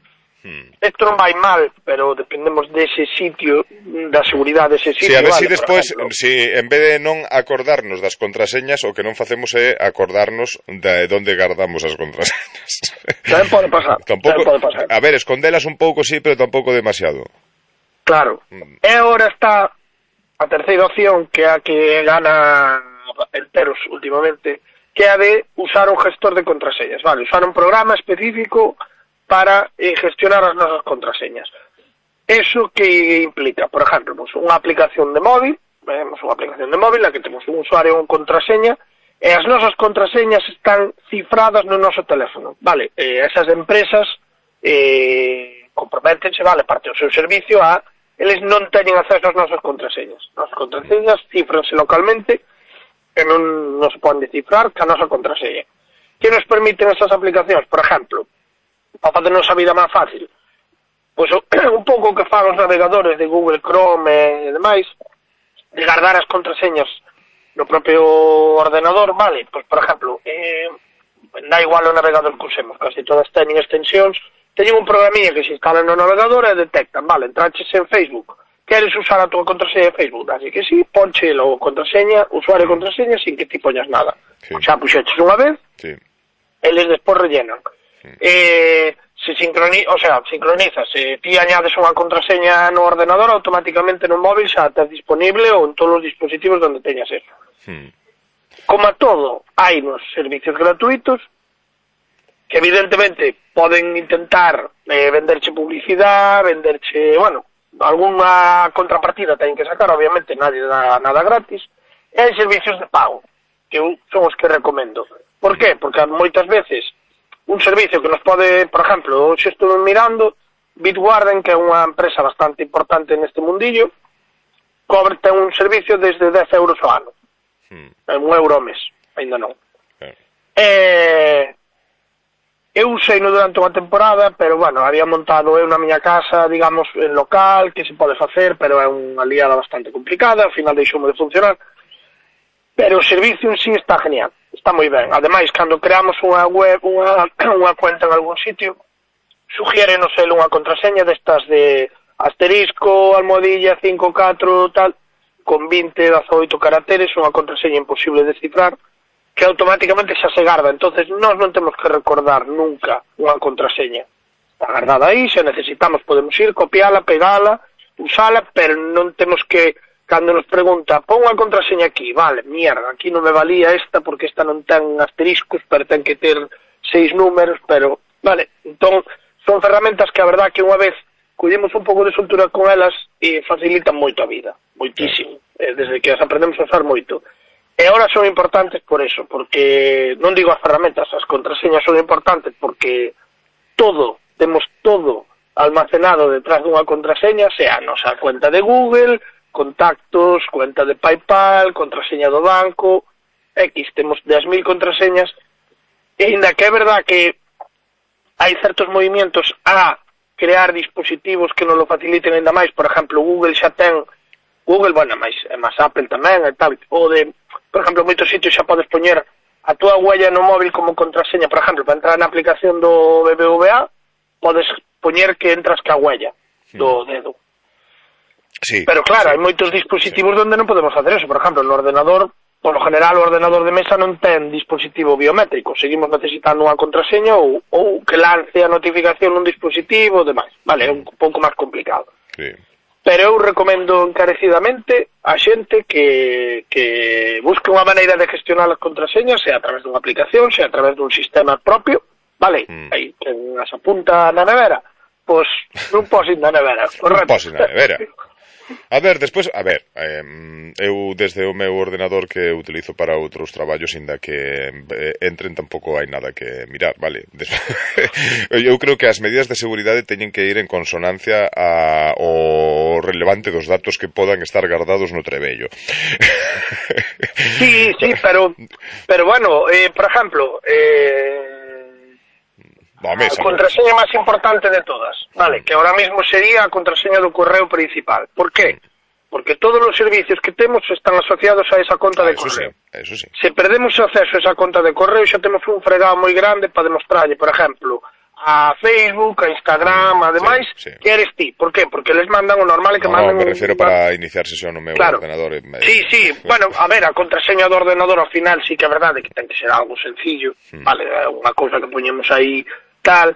Isto non vai mal, pero dependemos dese sitio, da seguridade dese sitio. Si, a ver si despois, en vez de non acordarnos das contraseñas, o que non facemos é acordarnos de onde guardamos as contraseñas. Tamén pode pasar. A ver, escondelas un pouco, sí, pero tampouco demasiado. Claro. E agora está a terceira opción, que é a que gana enteros últimamente, que é a de usar un gestor de contraseñas, vale, usar un programa específico para gestionar as nosas contraseñas. Eso que implica, por exemplo, unha aplicación de móvil, na que temos un usuario con contraseña, e as nosas contraseñas están cifradas no noso teléfono, vale, esas empresas comprométense, vale, parte do seu servicio eles non teñen acceso ás nosas contraseñas. As contraseñas cifranse localmente e non se poden descifrar ca nosa contraseña. Que nos permiten esas aplicacións? Por exemplo, para facernos a vida máis fácil, pois un pouco que fan os navegadores de Google Chrome e demais, de guardar as contraseñas no propio ordenador, vale, pois por exemplo, da igual o navegador que usemos, casi todas teñen extensións, teñen un programinha que se instala no navegador e detectan, vale, entraches en Facebook, queres usar a tua contraseña de Facebook, así que sí, ponche logo contraseña, usuario e contraseña sin que ti poñas nada. Xa puxeches unha vez, eles despois rellenan. Se sincroniza, se ti añades unha contraseña no ordenador, automáticamente no móvil xa estás disponible ou en todos os dispositivos onde teñas eso. Como a todo, hai nos servicios gratuitos que evidentemente poden intentar venderche publicidade, venderche, bueno, alguna contrapartida teñen que sacar, obviamente nadie dá nada gratis, e hai servicios de pago, que son os que recomendo. Por qué? Porque moitas veces un servicio que nos pode, por exemplo, se estou mirando, Bitwarden, que é unha empresa bastante importante neste mundillo, ten un servicio desde 10 euros ao ano. €1 ao mes, ainda non. Eu usei-no durante unha temporada, pero, bueno, había montado eu na miña casa, digamos, en local, que se pode facer, pero é unha liada bastante complicada, ao final deixoume de funcionar. Pero o servicio en sí está genial, está moi ben. Ademais, cando creamos unha web, unha cuenta en algún sitio, sugiérenos ele unha contraseña destas de asterisco, almohadilla, 54, tal, con 20, 18 caracteres, unha contraseña imposible de cifrar, que automáticamente xa se garda. Entonces, nós non temos que recordar nunca unha contraseña. Está guardada aí, se necesitamos podemos ir, copiala, pegala, usala, pero non temos que... Cando nos pregunta, pon unha contraseña aquí, vale, mierda, aquí non me valía esta porque esta non ten asteriscos, pero ten que ter 6 números, pero, vale, entón, son ferramentas que a verdad que unha vez collemos un pouco de soltura con elas e facilitan moito a vida, moitísimo, desde que as aprendemos a usar moito. E ahora son importantes por eso, porque, non digo as ferramentas, as contraseñas son importantes porque temos todo almacenado detrás dunha contraseña, sea a nosa cuenta de Google, contactos, cuenta de PayPal, contraseña do banco, temos 10.000 contraseñas, e ainda que é verdad que hai certos movimientos a crear dispositivos que nos lo faciliten ainda máis. Por exemplo, Google xa ten, bueno, máis Apple tamén e tal, ou de, por exemplo, moitos sitios xa podes poñer a túa huella no móvil como contraseña. Por exemplo, para entrar na aplicación do BBVA podes poñer que entras ca huella do dedo. Sí, pero claro, hai moitos dispositivos onde non podemos facer eso. Por exemplo, no ordenador, por lo general, o ordenador de mesa non ten dispositivo biométrico. Seguimos necesitando unha contraseña ou que lance a notificación nun dispositivo e demais. Vale, é un pouco máis complicado. Sí. Pero eu recomendo encarecidamente a xente que busque unha maneira de gestionar as contraseñas, sea a través dunha aplicación, sea a través dun sistema propio, vale? Aí que as apunta na nevera, pois non pos ir na nevera, correcto? Non pos ir na nevera. A ver, despois, eu desde o meu ordenador que utilizo para outros traballos, inda que entren, tampouco hai nada que mirar, vale? Eu creo que as medidas de seguridade teñen que ir en consonancia ao relevante dos datos que podan estar guardados no trebello. Sí, pero bueno, por exemplo, a contraseña máis importante de todas, vale, que ahora mismo sería a contraseña do correo principal. ¿Por qué? Porque todos os servicios que temos están asociados a esa conta de correo. Eso sí. Se perdemos acceso a esa conta de correo, xa temos un fregado moi grande para demostrarlle, por exemplo, a Facebook, a Instagram, ademais, que eres ti. ¿Por qué? Porque les mandan o normal que manden... me refiero para iniciar sesión no meu ordenador. Sí, bueno, a ver, a contraseña do ordenador ao final sí que é verdade que ten que ser algo sencillo, vale, unha cousa que poñemos aí tal,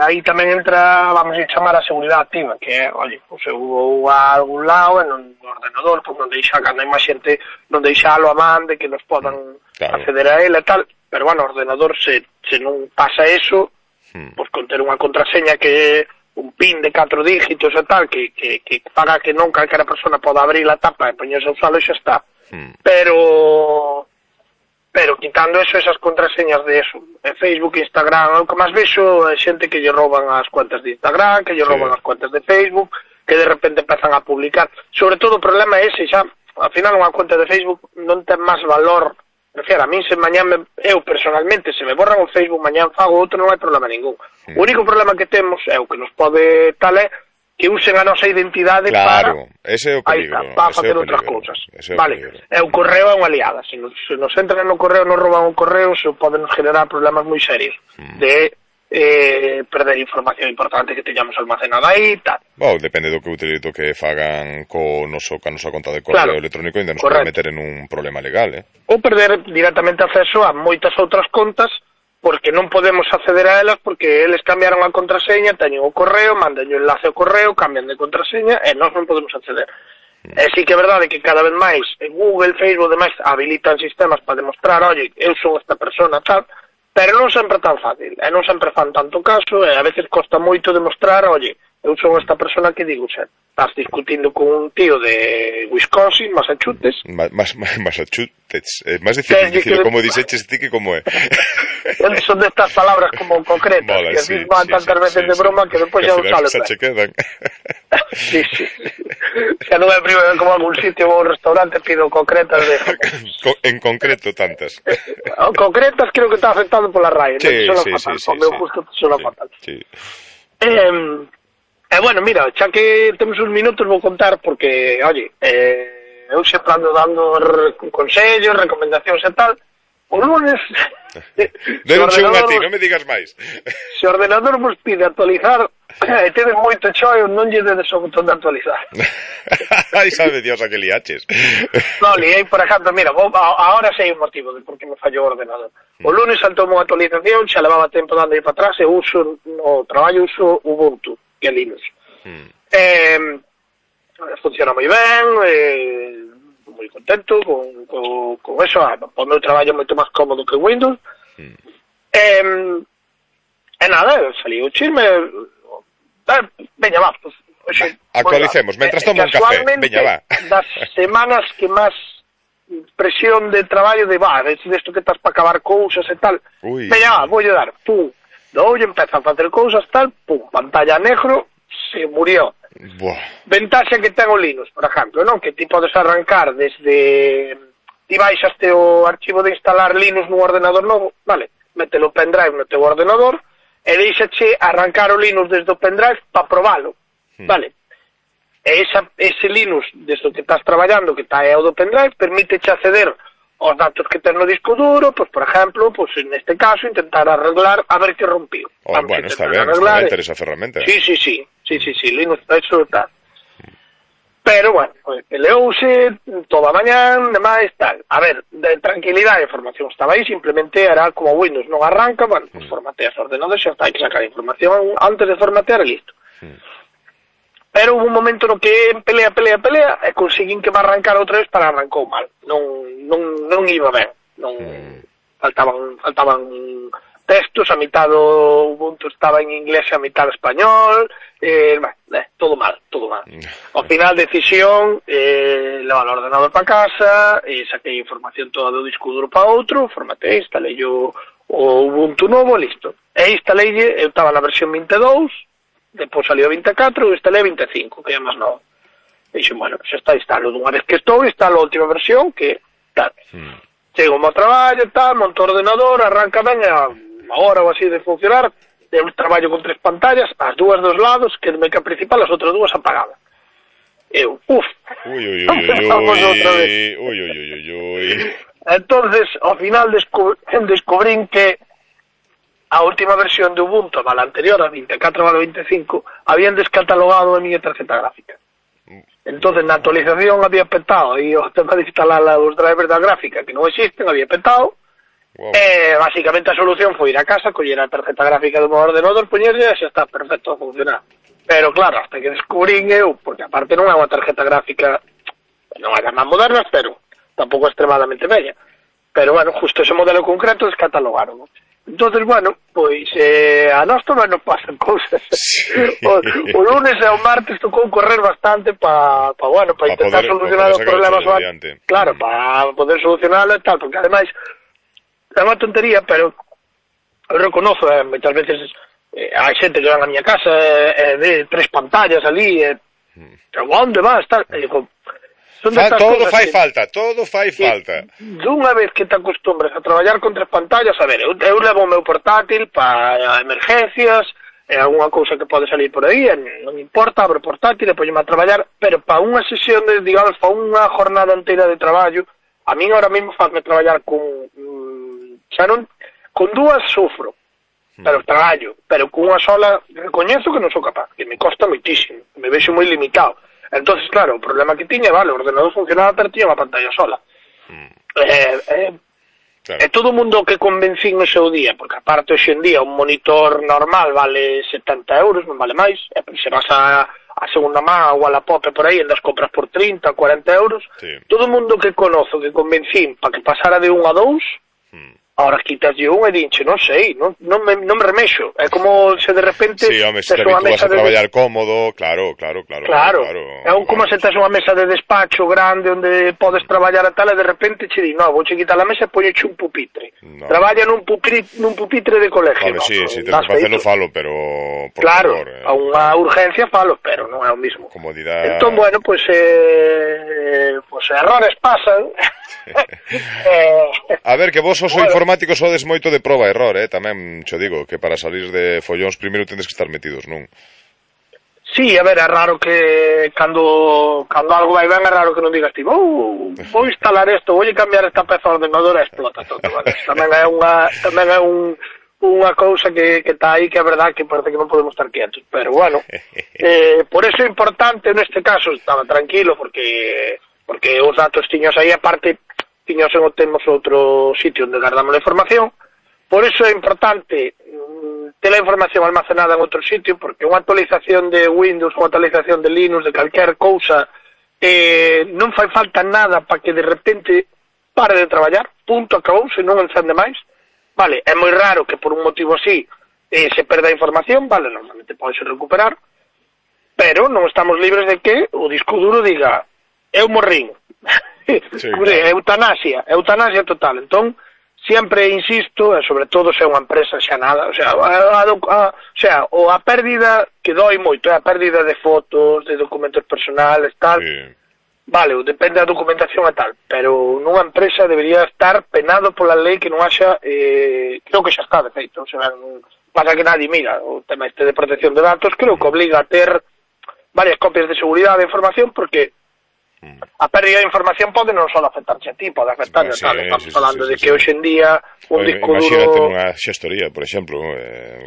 aí tamén entra, vamos a chamar a seguridade activa, que é, oye, pues eu vou a algún lado no ordenador, pues non deixa, cando hai máis xente, non deixalo a man de que nos podan acceder a ele e tal, pero bueno, o ordenador se non pasa eso, pues con ter unha contraseña que un pin de 4 dígitos e tal, que faga que non calquera persona poda abrir a tapa e poñerse a usalo e xa está. Pero quitando eso, esas contraseñas de eso, Facebook, Instagram, o que máis vexo é xente que lle rouban as cuentas de Instagram, que lle rouban as cuentas de Facebook, que de repente empezan a publicar. Sobre todo o problema é ese, xa, ao final unha cuenta de Facebook non ten máis valor. Prefiero, a mí se mañán eu personalmente, se me borran o Facebook, mañán fago outro, non hai problema ningún. O único problema que temos é o que nos pode tal é que usen a nosa identidade para facer outras cousas. Vale, e o correo é unha liada. Se nos entran no correo, nos rouban o correo, se poden generar problemas moi serios de perder información importante que teñamos almacenada aí e tal. Depende do que fagan ca nosa conta de correo electrónico, ainda nos pode meter en un problema legal, ou perder directamente acceso a moitas outras contas porque non podemos acceder a elas porque eles cambiaron a contraseña, teñen o correo, mandan o enlace ao correo, cambian de contraseña e nós non podemos acceder. E sí que é verdade que cada vez máis en Google, Facebook, demais habilitan sistemas para demostrar, oye, eu son esta persona tal, pero non sempre é tan fácil, e non sempre fan tanto caso, e a veces costa moito demostrar, oye, eu son esta persona que digo, xa, estás discutindo con un tío de Wisconsin, Massachusetts. Massachusetts, é máis difícil como dixeches ti que como é. Son destas palabras como concretas, que así van tantas veces de broma que despois xa usalo. Xa che quedan. Sí. Xa non é primero como algún sitio ou un restaurante pido concretas de... En concreto tantas. Concretas creo que está afectado pola RAE. Sí. O meu justo sona fatal. Bueno, mira, xa que temos uns minutos vou contar porque, oye, eu sempre ando dando consellos, recomendacións e tal. O lunes... Deronche un a ti, non me digas máis. Se o ordenador vos pide actualizar e tedes moito choio, non lle dedes o botón de actualizar. Ai, sabe Dios a que liaches. Non, liei, por exemplo, mira, ahora sei o motivo de por que me fallou o ordenador. O lunes saltou unha actualización, xa levaba tempo dando aí para atrás e uso, no traballo uso Ubuntu, que é Linux. Funciona moi ben, moi contento con eso, o meu traballo é moito máis cómodo que Windows. E nada, salí o chisme, veña, va, pues, actualicemos, mentras tomo un café, veña, va. Das semanas que máis presión de traballo de, desto que estás para acabar cousas e tal, veña, va, voulle dar, pum, doulle, empeza a facer cousas tal, pum, pantalla negro, se murió. Ventaxa que ten o Linux, por exemplo, non? Que ti podes arrancar desde... Ti baixaste o archivo de instalar Linux nun ordenador novo, vale? Mételo o pendrive no teu ordenador e deixache arrancar o Linux desde o pendrive para probalo, vale? E ese Linux, desde o que estás traballando, que está ao do pendrive, permíteche acceder aos datos que ten no disco duro, pues, por exemplo, pues, neste caso, intentar arreglar a ver que rompiu. Bueno, está ben, está ben ter esa ferramenta. Sí, Linux, eso está. Pero, bueno, pues, peleouse toda a mañán, demais, tal. A ver, de tranquilidade, a información estaba aí, simplemente era como Windows non arranca, bueno, pues formateas o ordenador, xa está, hai que sacar a información antes de formatear e listo. Pero hubo un momento no que pelea e conseguín que me arrancara outra vez para arrancou mal. Non iba ben. Faltaban textos, a mitad do Ubuntu estaba en inglés e a mitad español, todo mal. Ao final, decisión, levar o ordenador para casa, saquei información toda do disco duro para outro, formatei, instalei o Ubuntu novo, listo. E instaleille, eu estaba na versión 22, depois salió 24 e instalei 25, que é máis novo. E dixen, bueno, xa está, instalo dunha vez que estou, instalo a última versión, que tal. Chego ao traballo, tal, monto o ordenador, arranca ben, a hora ou así de funcionar, eu traballo con 3 pantallas, as dúas dos lados, que me que a principal, as outras dúas apagadas. Eu, vamos outra vez. Entonces, ao final descubrín que a última versión de Ubuntu, a la anterior, a 24/25, habían descatalogado a miña tarjeta gráfica. Entonces, na actualización había petado, e o tema de instalar os drivers da gráfica, que non existen, había petado, e basicamente a solución foi ir a casa, coller a tarjeta gráfica do meu ordenador, poñerlle, e xa está perfecto a funcionar. Pero claro, hasta que descubrín eu, porque aparte non é unha tarjeta gráfica, non é das máis modernas, pero tampouco extremadamente bella. Pero bueno, justo ese modelo concreto descatalogaron. Entonces, bueno, pois a nós tamén nos pasan cousas. O lunes e o martes tocou correr bastante para intentar solucionar os problemas. Claro, para poder solucionarlo e tal, porque ademais é unha tontería, pero eu reconozo, moitas veces hai xente que van a miña casa de 3 pantallas ali, pero onde vas? E digo, todo fai falta. Dunha vez que te acostumbres a traballar con 3 pantallas, a ver, eu levo o meu portátil para emergencias, algunha cousa que pode salir por aí, non importa, abro o portátil e poñeme a traballar, pero para unha sesión de, digamos, para unha jornada inteira de traballo, a min ahora mesmo fazme traballar con dúas sufro, pero traballo, pero con unha sola recoñezo que non sou capaz, que me costa moitísimo, me vexo moi limitado. Entonces, claro, o problema que tiña, vale, o ordenador funcionaba, pero tiña unha pantalla sola. E todo o mundo que convencín no seu día, porque aparte hoxe en día un monitor normal vale 70 euros, non vale máis, e se vas a segunda má ou a la Pop por aí, andas compras por 30, 40 euros, todo o mundo que conozo, que convencín para que pasara de 1 a 2, ahora quitaslle un e dinche, non sei, non me remexo. É como se de repente... Sí, home, se te habitúas a traballar cómodo, claro. É como se tes unha mesa de despacho grande onde podes traballar a tal e de repente che di, no, vouche quitar a mesa e poñeche un pupitre. Traballa nun pupitre de colegio. Vale, sí, te que facelo falo, pero... Claro, a unha urgencia falo, pero non é o mismo. Comodidade... Entón, bueno, pois errores pasan. A ver, que vos os informáticos sodes moito de proba e error, tamén xo digo, que para salir de follóns primeiro tendes que estar metidos, non? Sí, a ver, é raro que cando algo vai ben é raro que non digas ti, vou instalar isto, vou cambiar esta peza ordenadora e explota todo, vale? Tamén é unha cousa que está aí que é verdad que parece que non podemos estar quietos, pero bueno, por eso é importante neste caso, estaba tranquilo porque os datos tiños aí, aparte tiños en temos outro sitio onde guardamos a información, por eso é importante ter a información almacenada en outro sitio, porque unha actualización de Windows, unha actualización de Linux, de calquer cousa, non fai falta nada para que de repente pare de traballar, punto, acabou, se non encende máis, vale, é moi raro que por un motivo así se perda a información, vale, normalmente pode recuperar, pero non estamos libres de que o disco duro diga eu morrín, eutanasia total. Entón, sempre insisto, e sobre todo se é unha empresa xa nada, o sea, a pérdida que doi moito, é a pérdida de fotos, de documentos personales, tal, vale, depende da documentación e tal, pero nunha empresa debería estar penado pola lei que non haxa, creo que xa está de feito, o sea, pasa que nadie mira o tema este de protección de datos, creo que obliga a ter varias copias de seguridade de información, porque a pérdida de información pode non só afectarche a ti, pode afectar a tal. Estamos falando de que hoxe en día un disco duro... Imagínate nunha xestoría, por exemplo.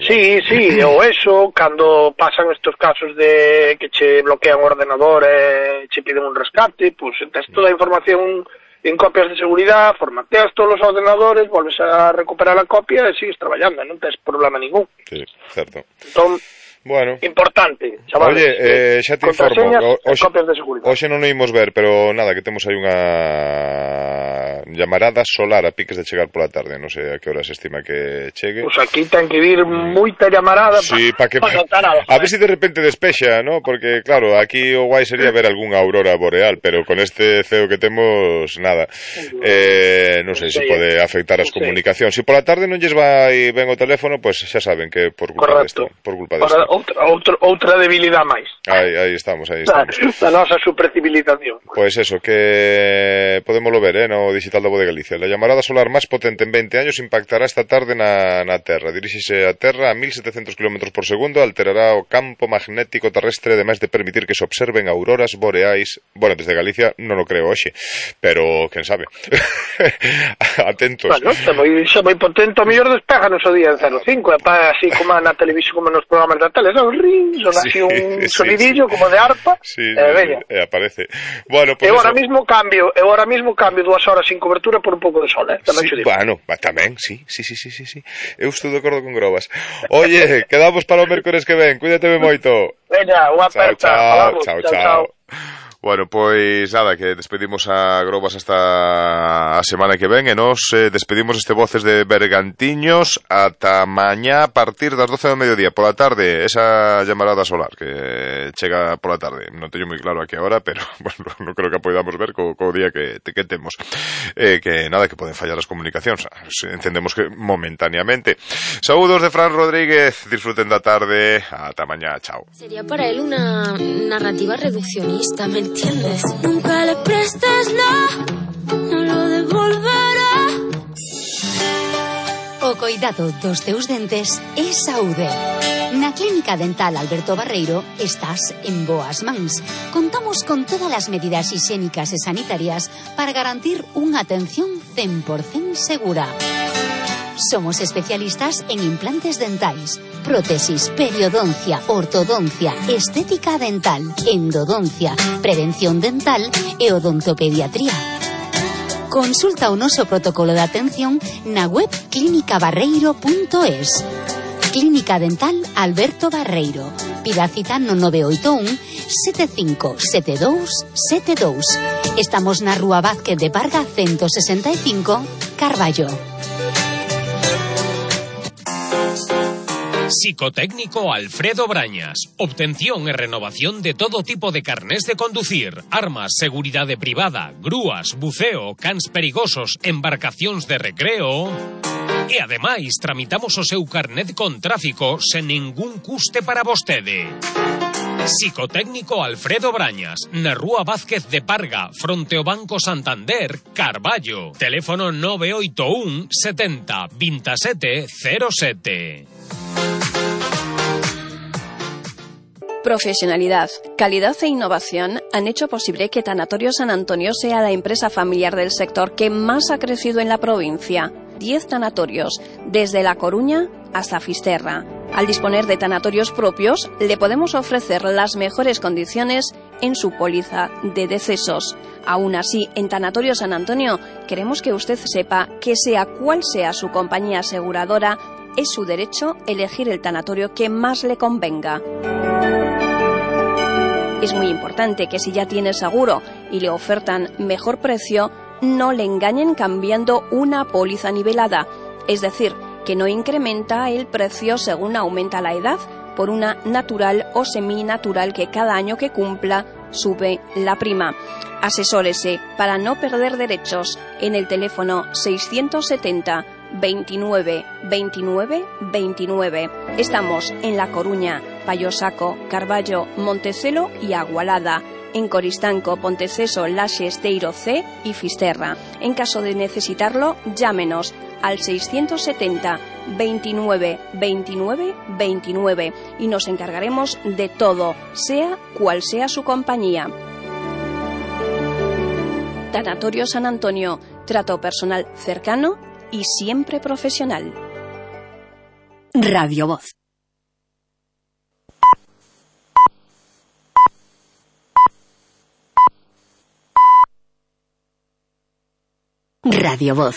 Sí, ou eso, cando pasan estos casos de que che bloquean o ordenador e che piden un rescate, pues tes toda a información en copias de seguridade, formateas todos os ordenadores, volves a recuperar a copia e sigues traballando, non tes problema ningún. Sí, certo. Entón, bueno, importante, chavales. Oye, xa te informo. Hoxe non o imos ver, pero nada, que temos aí unha llamarada solar a piques de chegar pola tarde. Non sei a que hora se estima que chegue. Pois aquí ten que vir moita llamarada a ver se de repente despexa, ¿no? Porque claro, aquí o guai sería ver algunha aurora boreal, pero con este ceo que temos, nada. Non sei se pode afectar as comunicacións. Se pola tarde non lles vai ben o teléfono, pois xa saben que por culpa desto. Outra debilidade máis. Aí estamos. Da nosa supercivilización. Pois eso, que podémoslo ver, no digital da Voz de Galicia. La llamarada solar máis potente en 20 años impactará esta tarde na Terra. Diríxese a Terra a 1700 km por segundo, alterará o campo magnético terrestre, ademais de permitir que se observen auroras boreais. Bueno, desde Galicia non o creo hoxe, pero quen sabe. Atentos. Bueno, xa moi potente, o mellor despeganos o día en 05, así como na televisión, como nos programas da tele, son así un sonidillo como de arpa, aparece. Bueno, pues eu ahora mismo cambio 2 horas sin cobertura por un pouco de sol, Bueno, tamén, sí. Eu estou de acordo con Grobas. Oye, quedamos para o mércores que ven, cuídate moito. Veña, unha aperta. Chao. Bueno, pois nada, que despedimos a Grobas hasta a semana que ven e nos despedimos este Voces de Bergantiños ata mañá a partir das 12 do mediodía pola tarde, esa llamarada solar que chega pola tarde. Non teño moi claro a que hora, pero bueno, non creo que podamos ver co día que temos. Que nada, que poden fallar as comunicacións, entendemos que momentáneamente. Saúdos de Fran Rodríguez, disfruten da tarde, ata mañá, chao. Sería para él una narrativa reduccionista, ¿entiendes? Nunca le prestes no lo devolverá. O coidado dos teus dentes é saúde. Na Clínica Dental Alberto Barreiro estás en boas mans. Contamos con todas as medidas higiénicas e sanitarias para garantir unha atención 100% segura. Somos especialistas en implantes dentais, prótesis, periodoncia, ortodoncia, estética dental, endodoncia, prevención dental e odontopediatría. Consulta o noso protocolo de atención na web clinicabarreiro.es. Clínica Dental Alberto Barreiro. Pida cita no 981 75 72 72. Estamos na Rúa Vázquez de Parga 165, Carballo. Psicotécnico Alfredo Brañas. Obtención e renovación de todo tipo de carnés de conducir, armas, seguridade privada, grúas, buceo, cans perigosos, embarcacións de recreo. E ademais tramitamos o seu carnet con tráfico sen ningún custe para vostede. Psicotécnico Alfredo Brañas, na Rúa Vázquez de Parga, fronte ao Banco Santander, Carballo. Teléfono 981 70 27 07. Profesionalidad, calidad e innovación han hecho posible que Tanatorio San Antonio sea la empresa familiar del sector que más ha crecido en la provincia. 10 tanatorios, desde La Coruña hasta Fisterra. Al disponer de tanatorios propios, le podemos ofrecer las mejores condiciones en su póliza de decesos. Aún así, en Tanatorio San Antonio, queremos que usted sepa que sea cual sea su compañía aseguradora, es su derecho elegir el tanatorio que más le convenga. Es muy importante que si ya tiene seguro y le ofertan mejor precio, no le engañen cambiando una póliza nivelada, es decir, que no incrementa el precio según aumenta la edad, por una natural o seminatural que cada año que cumpla sube la prima. Asesórese para no perder derechos en el teléfono 670 29 29 29. Estamos en La Coruña, Payosaco, Carballo, Montecelo y Agualada. En Coristanco, Ponteceso, Laxe, Esteiro C y Fisterra. En caso de necesitarlo, llámenos al 670 29 29 29 y nos encargaremos de todo, sea cual sea su compañía. Tanatorio San Antonio, trato personal cercano y siempre profesional. Radio Voz. Radio Voz,